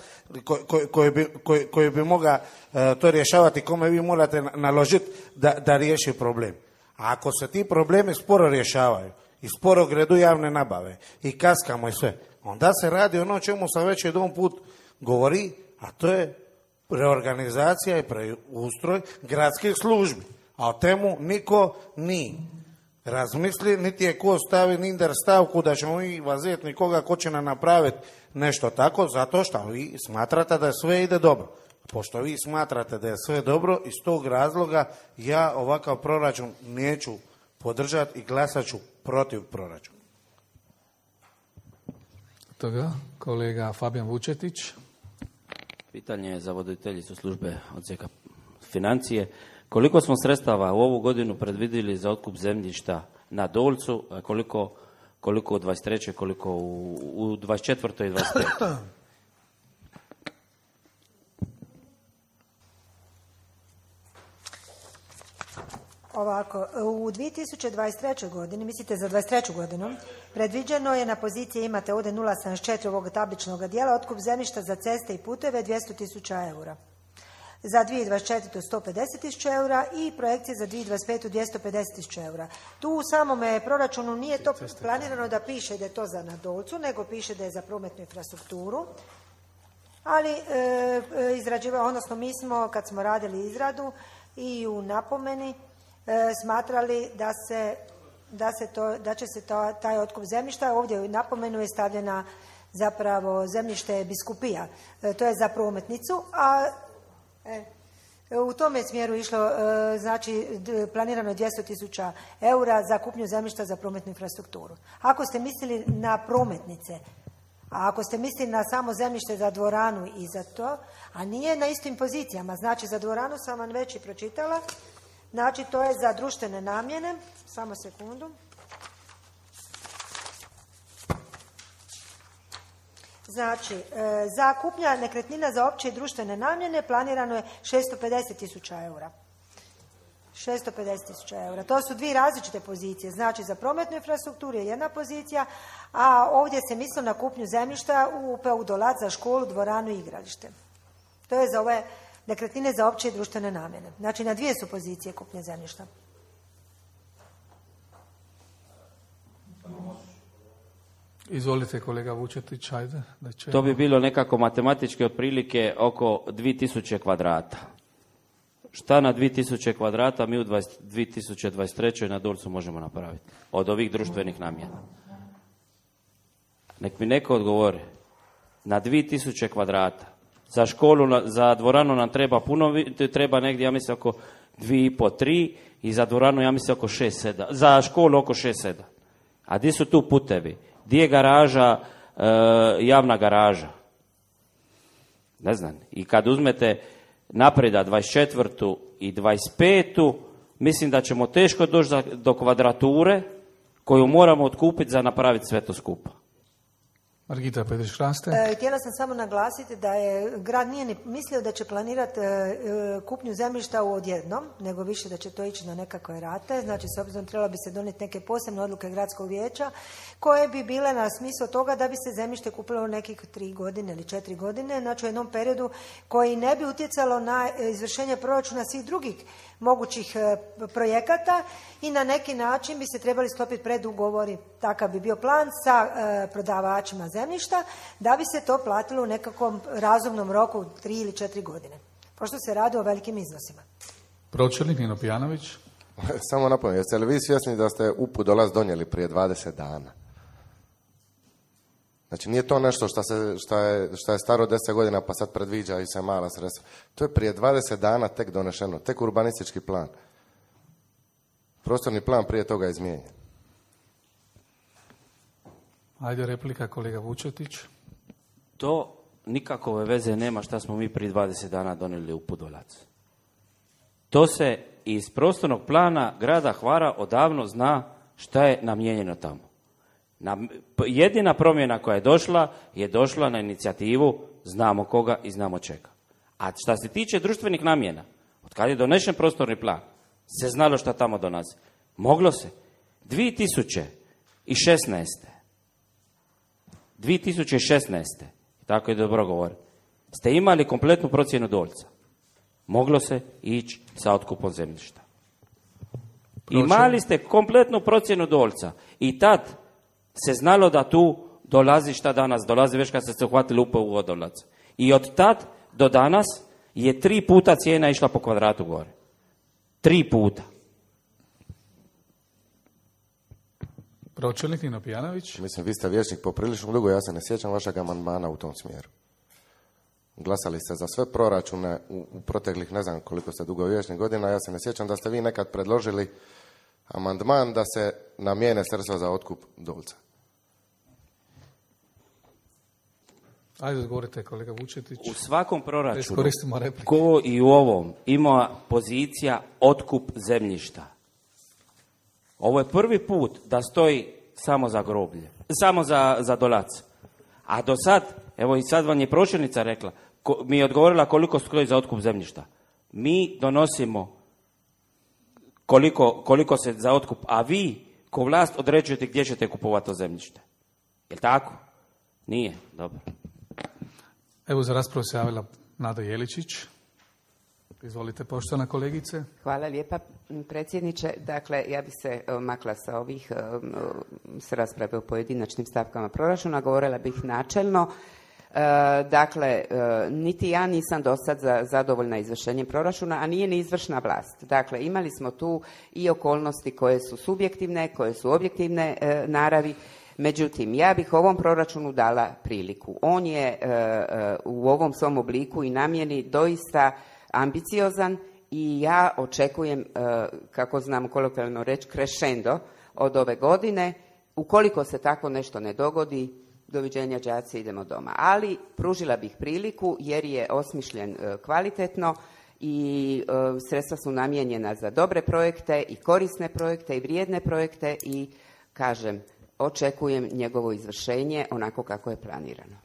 ko, ko, koji bi, koji, koji bi moga uh, to rješavati, kome vi morate naložiti da, da riješi problem. A ako se ti problemi sporo rješavaju i sporo gredu javne nabave i kaskamo i sve, onda se radi ono čemu sam već jedan put govori, a to je reorganizacija i preustroj gradskih službi. A o temu niko nije razmisli, niti je ko stavi ninder stavku da ćemo mi vazeti nikoga ko će nam napraviti nešto tako, zato što vi smatrate da sve ide dobro. Pošto vi smatrate da je sve dobro, iz tog razloga ja ovakav proračun neću podržati i glasat ću protiv proračuna. toga. Kolega Fabijan Vučetić. Pitanje je za voditeljicu službe odsjeka financije. Koliko smo sredstava u ovu godinu predvidjeli za otkup zemljišta na Dolcu, a koliko, koliko u dvadeset trećoj, koliko u, u dvadeset četvrtoj i dvadeset petoj? Ovako, u dvije tisuće dvadeset trećoj godini, mislite za dvadeset treću godinu, predviđeno je na poziciji, imate ovdje nula zarez sedamdeset četiri ovog tabličnog dijela, otkup zemljišta za ceste i puteve dvjesto tisuća eura. Za dvije tisuće dvadeset četvrtu sto pedeset tisuća eura i projekcije za dvije tisuće dvadeset petu dvjesto pedeset tisuća eura. Tu u samome proračunu nije to planirano da piše da je to za na Dolcu, nego piše da je za prometnu infrastrukturu. Ali e, izrađiva, odnosno mi smo, kad smo radili izradu i u napomeni, E, smatrali da se, da se to, da će se to, taj otkup zemljišta, ovdje u napomenu je stavljena zapravo zemljište biskupija, e, to je za prometnicu, a e, u tome je smjeru išlo, e, znači planirano je dvjesto tisuća eura za kupnju zemljišta za prometnu infrastrukturu. Ako ste mislili na prometnice, a ako ste mislili na samo zemljište za dvoranu i za to, a nije na istim pozicijama, znači za dvoranu sam vam već i pročitala. Znači, to je za društvene namjene. Samo sekundu. Znači, e, za kupnja nekretnina za opće i društvene namjene planirano je šesto pedeset tisuća eura. šesto pedeset tisuća eura. To su dvije različite pozicije. Znači, za prometnu infrastrukturu je jedna pozicija, a ovdje se misli na kupnju zemljišta u P U Dolac za školu, dvoranu i igralište. To je za ove nekretnine za opće i društvene namjene. Znači, na dvije su pozicije kupnje zemljišta. Izvolite, kolega Vučetić, ajde. Da će... To bi bilo nekako matematički otprilike oko dvije tisuće kvadrata. Šta na dvije tisuće kvadrata mi u dvije tisuće dvadeset trećoj na Dolcu možemo napraviti od ovih društvenih namjena? Nek mi neko odgovori. Na dvije tisuće kvadrata. Za školu, za dvoranu nam treba puno, treba negdje, ja mislim, oko dvije i po, tri i za dvoranu, ja mislim, oko šest, sedam. Za školu oko šest, sedam. A gdje su tu putevi? Gdje je garaža, e, javna garaža? Ne znam. I kad uzmete napreda dvadeset četvrtu i dvadeset petu, mislim da ćemo teško doći do kvadrature koju moramo otkupiti za napraviti sve to skupa. Margita Petrić-Hraste. E, htjela sam samo naglasiti da je grad nije ni mislio da će planirati e, kupnju zemljišta u odjednom, nego više da će to ići na nekakve rate. Znači, s obzirom trebalo bi se donijeti neke posebne odluke gradskog vijeća koje bi bile na smislu toga da bi se zemljište kupilo u nekih tri godine ili četiri godine, znači u jednom periodu koji ne bi utjecalo na izvršenje proračuna svih drugih mogućih e, projekata i na neki način bi se trebali sklopiti predugovori, takav bi bio plan sa e, prodavačima zemljišta, da bi se to platilo u nekakvom razumnom roku tri ili četiri godine. Pošto se radi o velikim iznosima. Pročelnik Nino Pijanović. Samo napomenem, jeste li vi svjesni da ste U P U Dolac donijeli prije dvadeset dana? Znači, nije to nešto što, se, što, je, što je staro deset godina pa sad predviđa i se mala sredstva. To je prije dvadeset dana tek donešeno, tek urbanistički plan. Prostorni plan prije toga je izmijenjen. Ajde, replika, kolega Vučetić. To nikakove veze nema šta smo mi prije dvadeset dana donijeli U P U Dolac. To se iz prostornog plana grada Hvara odavno zna šta je namijenjeno tamo. Na, jedina promjena koja je došla, je došla na inicijativu znamo koga i znamo čega. A šta se tiče društvenih namjena, od kad je donešen prostorni plan, se znalo šta tamo donosi. Moglo se. dvije tisuće šesnaeste dvije tisuće šesnaeste tako je dobro govori, ste imali kompletnu procjenu Dolca. Moglo se ići sa otkupom zemljišta. Imali ste kompletnu procjenu Dolca i tad se znalo da tu dolazi šta danas dolazi, već kad ste se uhvatili U P U Dolac. I od tad do danas je tri puta cijena išla po kvadratu gore. Tri puta. Pročelnik Nino Pijanović. Mislim, vi ste vijećnik poprilično dugo, ja se ne sjećam vašeg amandmana u tom smjeru. Glasali ste za sve proračune u, u proteklih, ne znam koliko ste dugo vijećnik godina, ja se ne sjećam da ste vi nekad predložili amandman da se namijene sredstva za otkup Dolca. Ajde, odgovorite kolega Vučetić. U svakom proračunu, Iskoristimo replike. ko i u ovom, ima pozicija otkup zemljišta. Ovo je prvi put da stoji samo za groblje, samo za, za Dolac. A do sad, evo i sad vam je pročelnica rekla, ko, mi je odgovorila koliko stoji za otkup zemljišta. Mi donosimo koliko, koliko se za otkup, a vi ko vlast određujete gdje ćete kupovati to zemljište. Je li tako? Nije, dobro. Evo za raspravu se javila Nada Jeličić. Izvolite, poštovana kolegice. Hvala lijepa, predsjedniče. Dakle, ja bih se makla sa ovih s rasprave o pojedinačnim stavkama proračuna, govorila bih načelno. Dakle, niti ja nisam do sad zadovoljna izvršenjem proračuna, a nije ni izvršna vlast. Dakle, imali smo tu i okolnosti koje su subjektivne, koje su objektivne naravi. Međutim, ja bih ovom proračunu dala priliku. On je u ovom svom obliku i namjeni doista ambiciozan i ja očekujem, kako znam kolokvijalno reći, crescendo od ove godine. Ukoliko se tako nešto ne dogodi, doviđenja đaci, idemo doma. Ali pružila bih priliku jer je osmišljen kvalitetno i sredstva su namijenjena za dobre projekte i korisne projekte i vrijedne projekte i kažem, očekujem njegovo izvršenje onako kako je planirano.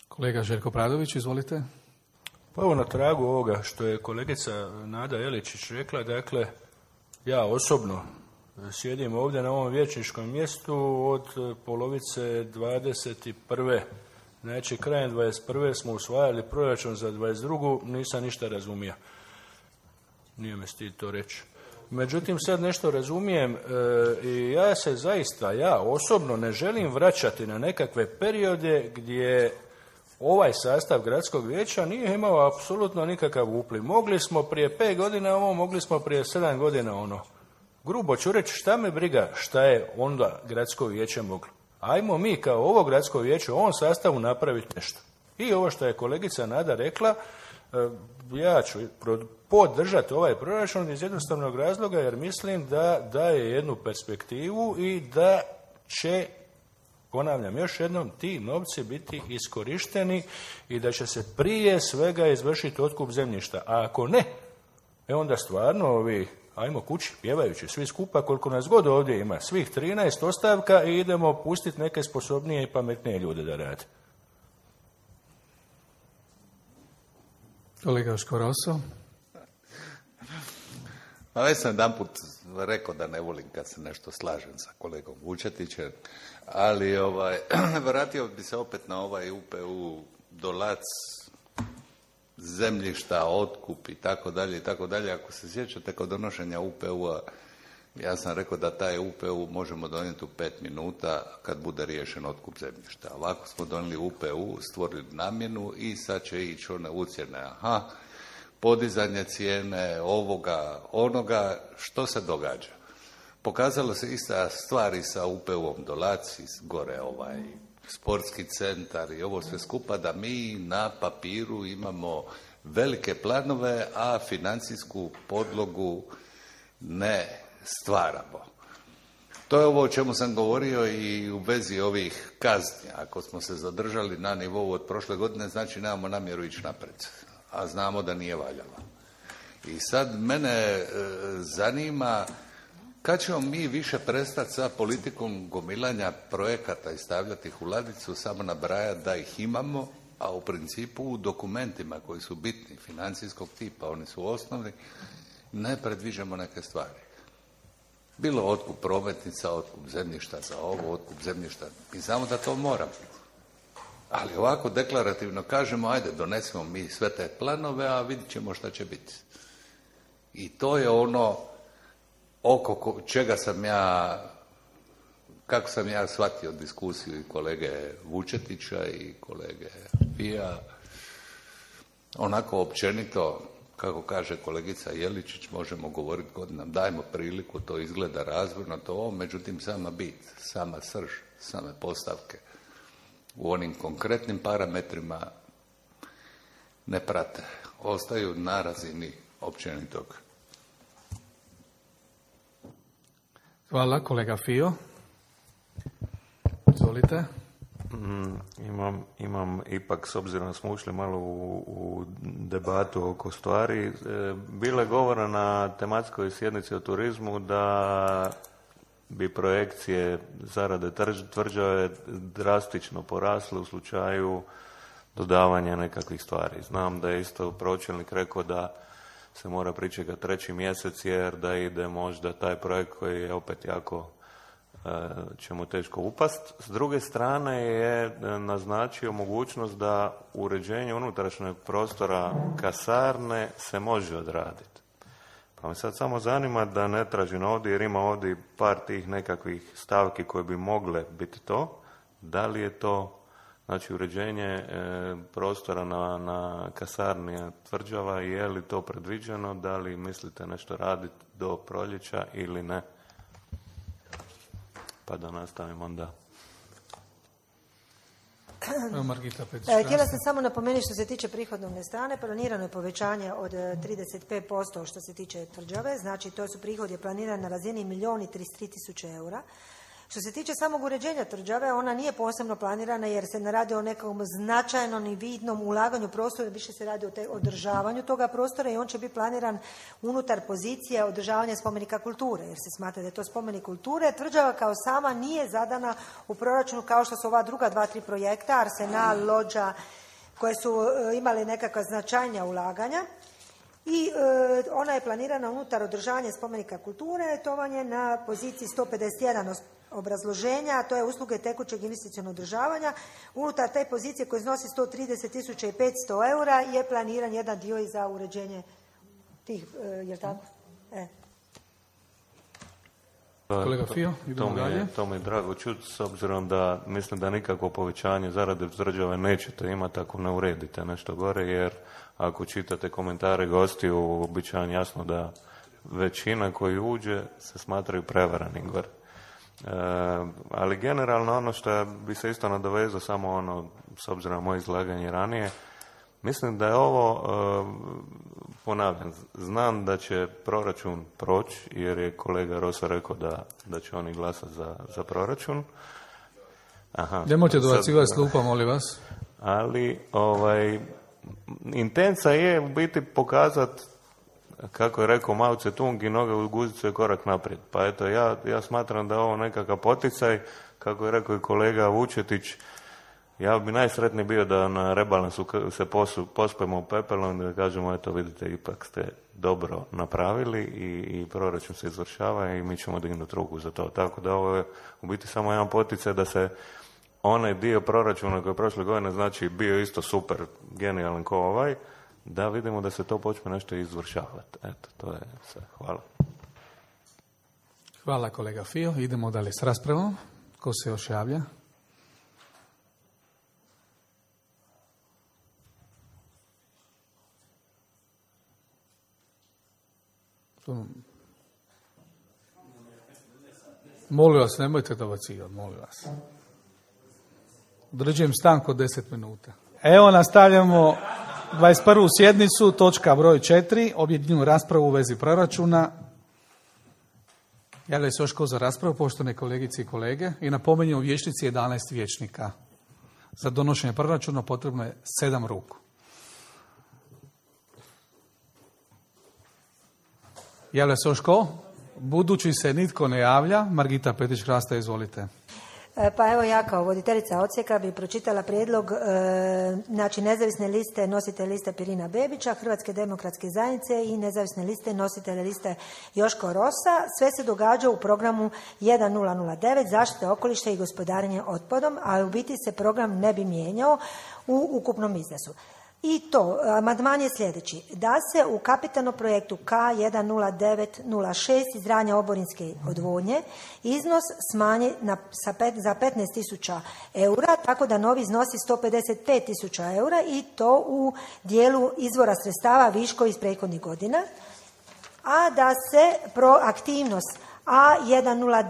Kolega Željko Pradović, izvolite. Pa evo na tragu ovoga što je kolegica Nada Jeličić rekla, dakle, ja osobno sjedim ovdje na ovom vijećničkom mjestu od polovice dvadeset prve. Znači, krajem dvadeset prve smo usvajali proračun za dvadeset drugu. Nisam ništa razumio. Nije me stid to reći. Međutim, sad nešto razumijem e, i ja se zaista, ja osobno ne želim vraćati na nekakve periode gdje ovaj sastav gradskog vijeća nije imao apsolutno nikakav upliv. Mogli smo prije pet godina ovo, mogli smo prije sedam godina ono. Grubo ću reći, šta me briga šta je onda gradsko vijeće moglo. Ajmo mi kao ovo gradsko vijeće u ovom sastavu napraviti nešto. I ovo što je kolegica Nada rekla, ja ću podržati ovaj proračun iz jednostavnog razloga jer mislim da daje jednu perspektivu i da će, ponavljam još jednom, ti novci biti iskorišteni i da će se prije svega izvršiti otkup zemljišta. A ako ne, e onda stvarno ovi, ajmo kući, pjevajući svi skupa, koliko nas god ovdje ima, svih trinaest ostavka i idemo pustiti neke sposobnije i pametnije ljude da rade. Kolega Joško Roso. Pa već sam jedan put rekao da ne volim kad se nešto slažem sa kolegom Vučetićem, ali ovaj, vratio bi se opet na ovaj U P U, Dolac, zemljišta, otkup i tako dalje i tako dalje. Ako se sjećate kod donošenja U P U-a, ja sam rekao da taj U P U možemo donijeti u pet minuta kad bude riješen otkup zemljišta. Ovako smo donijeli U P U, stvorili namjenu i sad će ići one ucjene. Aha, podizanje cijene ovoga, onoga, što se događa? Pokazalo se ista stvari sa U P U-om Dolac, gore ovaj sportski centar i ovo sve skupa, da mi na papiru imamo velike planove, a financijsku podlogu ne stvaramo. To je ovo o čemu sam govorio i u vezi ovih kazni. Ako smo se zadržali na nivou od prošle godine, znači nemamo namjeru ići naprijed, a znamo da nije valjalo. I sad mene e, zanima kad ćemo mi više prestati sa politikom gomilanja projekata i stavljati ih u ladicu, samo nabrajati da ih imamo, a u principu u dokumentima koji su bitni, financijskog tipa, oni su osnovni, ne predviđamo neke stvari. Bilo otkup prometnica, otkup zemljišta za ovo, otkup zemljišta. Mi znamo da to moramo. Ali ovako deklarativno kažemo, ajde, donesemo mi sve te planove, a vidit ćemo šta će biti. I to je ono oko čega sam ja, kako sam ja shvatio diskusiju i kolege Vučetića i kolege Fija, onako općenito, kako kaže kolegica Jeličić, možemo govoriti godinama, dajmo priliku, to izgleda razvojno, to ovo, međutim sama bit, sama srž, same postavke u onim konkretnim parametrima ne prate, ostaju na razini općenitog. Hvala, kolega Fio. Izvolite. Mm, imam, imam ipak, s obzirom da smo ušli malo u, u debatu oko stvari, e, bilo je govora na tematskoj sjednici o turizmu da bi projekcije zarade tvrđave drastično porasle u slučaju dodavanja nekakvih stvari. Znam da je isto pročelnik rekao da se mora pričekati treći mjesec jer da ide možda taj projekt koji je opet jako će mu teško upast. S druge strane je naznačio mogućnost da uređenje unutrašnjeg prostora kasarne se može odraditi. Pa me sad samo zanima da ne tražim ovdje, jer ima ovdje par tih nekakvih stavki koje bi mogle biti to. Da li je to, znači, uređenje e, prostora na, na kasarni Tvrđava, je li to predviđeno, da li mislite nešto raditi do proljeća ili ne? Pa da nastavimo onda. Margita Petić. Htjela sam samo napomenuti što se tiče prihodovne strane, planirano je povećanje od trideset pet posto što se tiče Tvrđave, znači to su prihodi planirani na razini milijun i trideset tri tisuće eura. Što se tiče samog uređenja Tvrđave, ona nije posebno planirana jer se ne radi o nekom značajnom i vidnom ulaganju prostora, više se radi o te, održavanju toga prostora i on će biti planiran unutar pozicije održavanja spomenika kulture, jer se smatra da je to spomenik kulture. Tvrđava kao sama nije zadana u proračunu kao što su ova druga dva, tri projekta, Arsenal, Lođa, koje su imali nekakva značajnija ulaganja. I e, ona je planirana unutar održavanja spomenika kulture, to vam je na poziciji sto pedeset jedan obrazloženja, a to je usluge tekućeg investicionog održavanja. Unutar te pozicije koje iznosi sto trideset tisuća petsto eura je planiran jedan dio i za uređenje tih, e, je li tako? E. Kolega Fio, idemo to mi je, dalje. To mi je drago čuti, s obzirom da mislim da nikakvo povećanje zarade Tvrđave nećete imati ako ne uredite nešto gore, jer ako čitate komentare gostiju, bit će vam jasno da većina koji uđe se smatraju prevaranim gore. E, ali generalno ono što bi se isto nadovezao, samo ono, s obzirom na moje izlaganje ranije, mislim da je ovo, e, ponavljam, znam da će proračun proći, jer je kolega Rosa rekao da, da će oni glasati za, za proračun. Aha, nemojte dobacivati s klupa, molim vas. Ali, ovaj, intenca je u biti pokazati, kako je rekao Mao Tse-tung, i noge u guzicu je korak naprijed. Pa eto, ja, ja smatram da je ovo nekakav poticaj, kako je rekao i kolega Vučetić, ja bi najsretniji bio da na rebalansu se posu, pospemo pepelom i da kažemo, eto vidite, ipak ste dobro napravili i, i proračun se izvršava i mi ćemo dignuti ruku za to. Tako da ovo je u biti samo jedan poticaj da se onaj dio proračuna koji je prošle godine, znači, bio isto super, genijalan ko ovaj, da vidimo da se to počne nešto izvršavati. Eto, to je sve. Hvala. Hvala kolega Fio. Idemo dalje s raspravom. Ko se još javlja? Molim vas, nemojte dobacivati, molim vas. Određujem stanku od deset minuta. Evo, nastavljamo dvadeset prvu sjednicu, točka broj četiri, objedinjenu raspravu u vezi proračuna. Javlja se još ko za raspravu, poštovane kolegice i kolege, i napominjem u vijećnici jedanaest vijećnika. Za donošenje proračuna potrebno je sedam ruku. Javlja se još ko? Budući se nitko ne javlja, Margita Petić-Hrasta, izvolite. Pa evo, ja kao voditeljica odsjeka bi pročitala prijedlog e, znači nezavisne liste nositelja liste Pirina Bebića, Hrvatske demokratske zajednice i nezavisne liste nositelja liste Joško Rosa. Sve se događa u programu jedan nula nula devet zaštite okoliša i gospodarenje otpadom, a u biti se program ne bi mijenjao u ukupnom iznosu. I to, amandman je sljedeći, da se u kapitalnom projektu K jedan nula devet nula šest izgradnja oborinske odvodnje iznos smanji na, sa pet, za petnaest tisuća eura, tako da novi iznosi sto pedeset pet tisuća eura i to u dijelu izvora sredstava viško iz prethodnih godina, a da se proaktivnost A jedan nula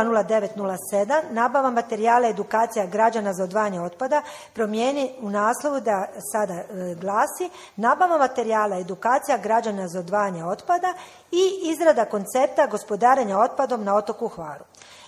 nula devet nula sedam nabava materijala edukacija građana za odvajanje otpada promijeni u naslovu da sada e, glasi nabava materijala edukacija građana za odvajanje otpada i izrada koncepta gospodarenja otpadom na otoku Hvaru.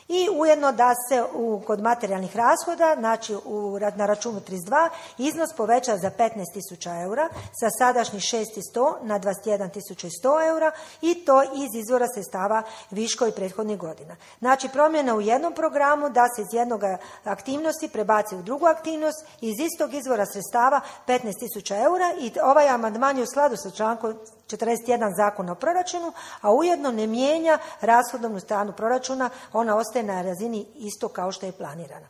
I ujedno da se u, kod materijalnih rashoda, znači u, na računu trideset dva, iznos poveća za petnaest tisuća eura sa sadašnjih šest tisuća sto na dvadeset jedan tisuća sto eura i to iz izvora sredstava viškovi prethodnih godina. Znači promjena u jednom programu da se iz jednog aktivnosti prebaci u drugu aktivnost iz istog izvora sredstava petnaest tisuća eura i ovaj amandman je u skladu sa člankom četrdeset jedan Zakona o proračunu, a ujedno ne mijenja rashodovnu stranu proračuna, ona ostaje na razini isto kao što je planirana.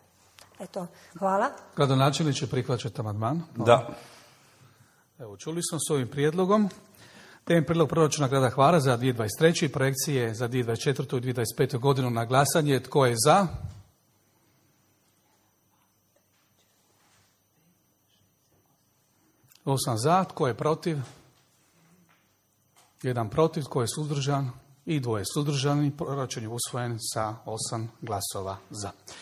Eto, hvala. Gradonačelniče, prihvaćate amandman? Da. Evo, čuli smo s ovim prijedlogom. Temeljem prijedlog proračuna grada Hvara za dvije tisuće dvadeset treću i projekcije za dvije tisuće dvadeset četvrtu i dvije tisuće dvadeset petu godinu na glasanje. Tko je za? Osam za. Tko je protiv? Jedan protiv. Tko je suzdržan? I dvoje suzdržani. Proračun je usvojen sa osam glasova za.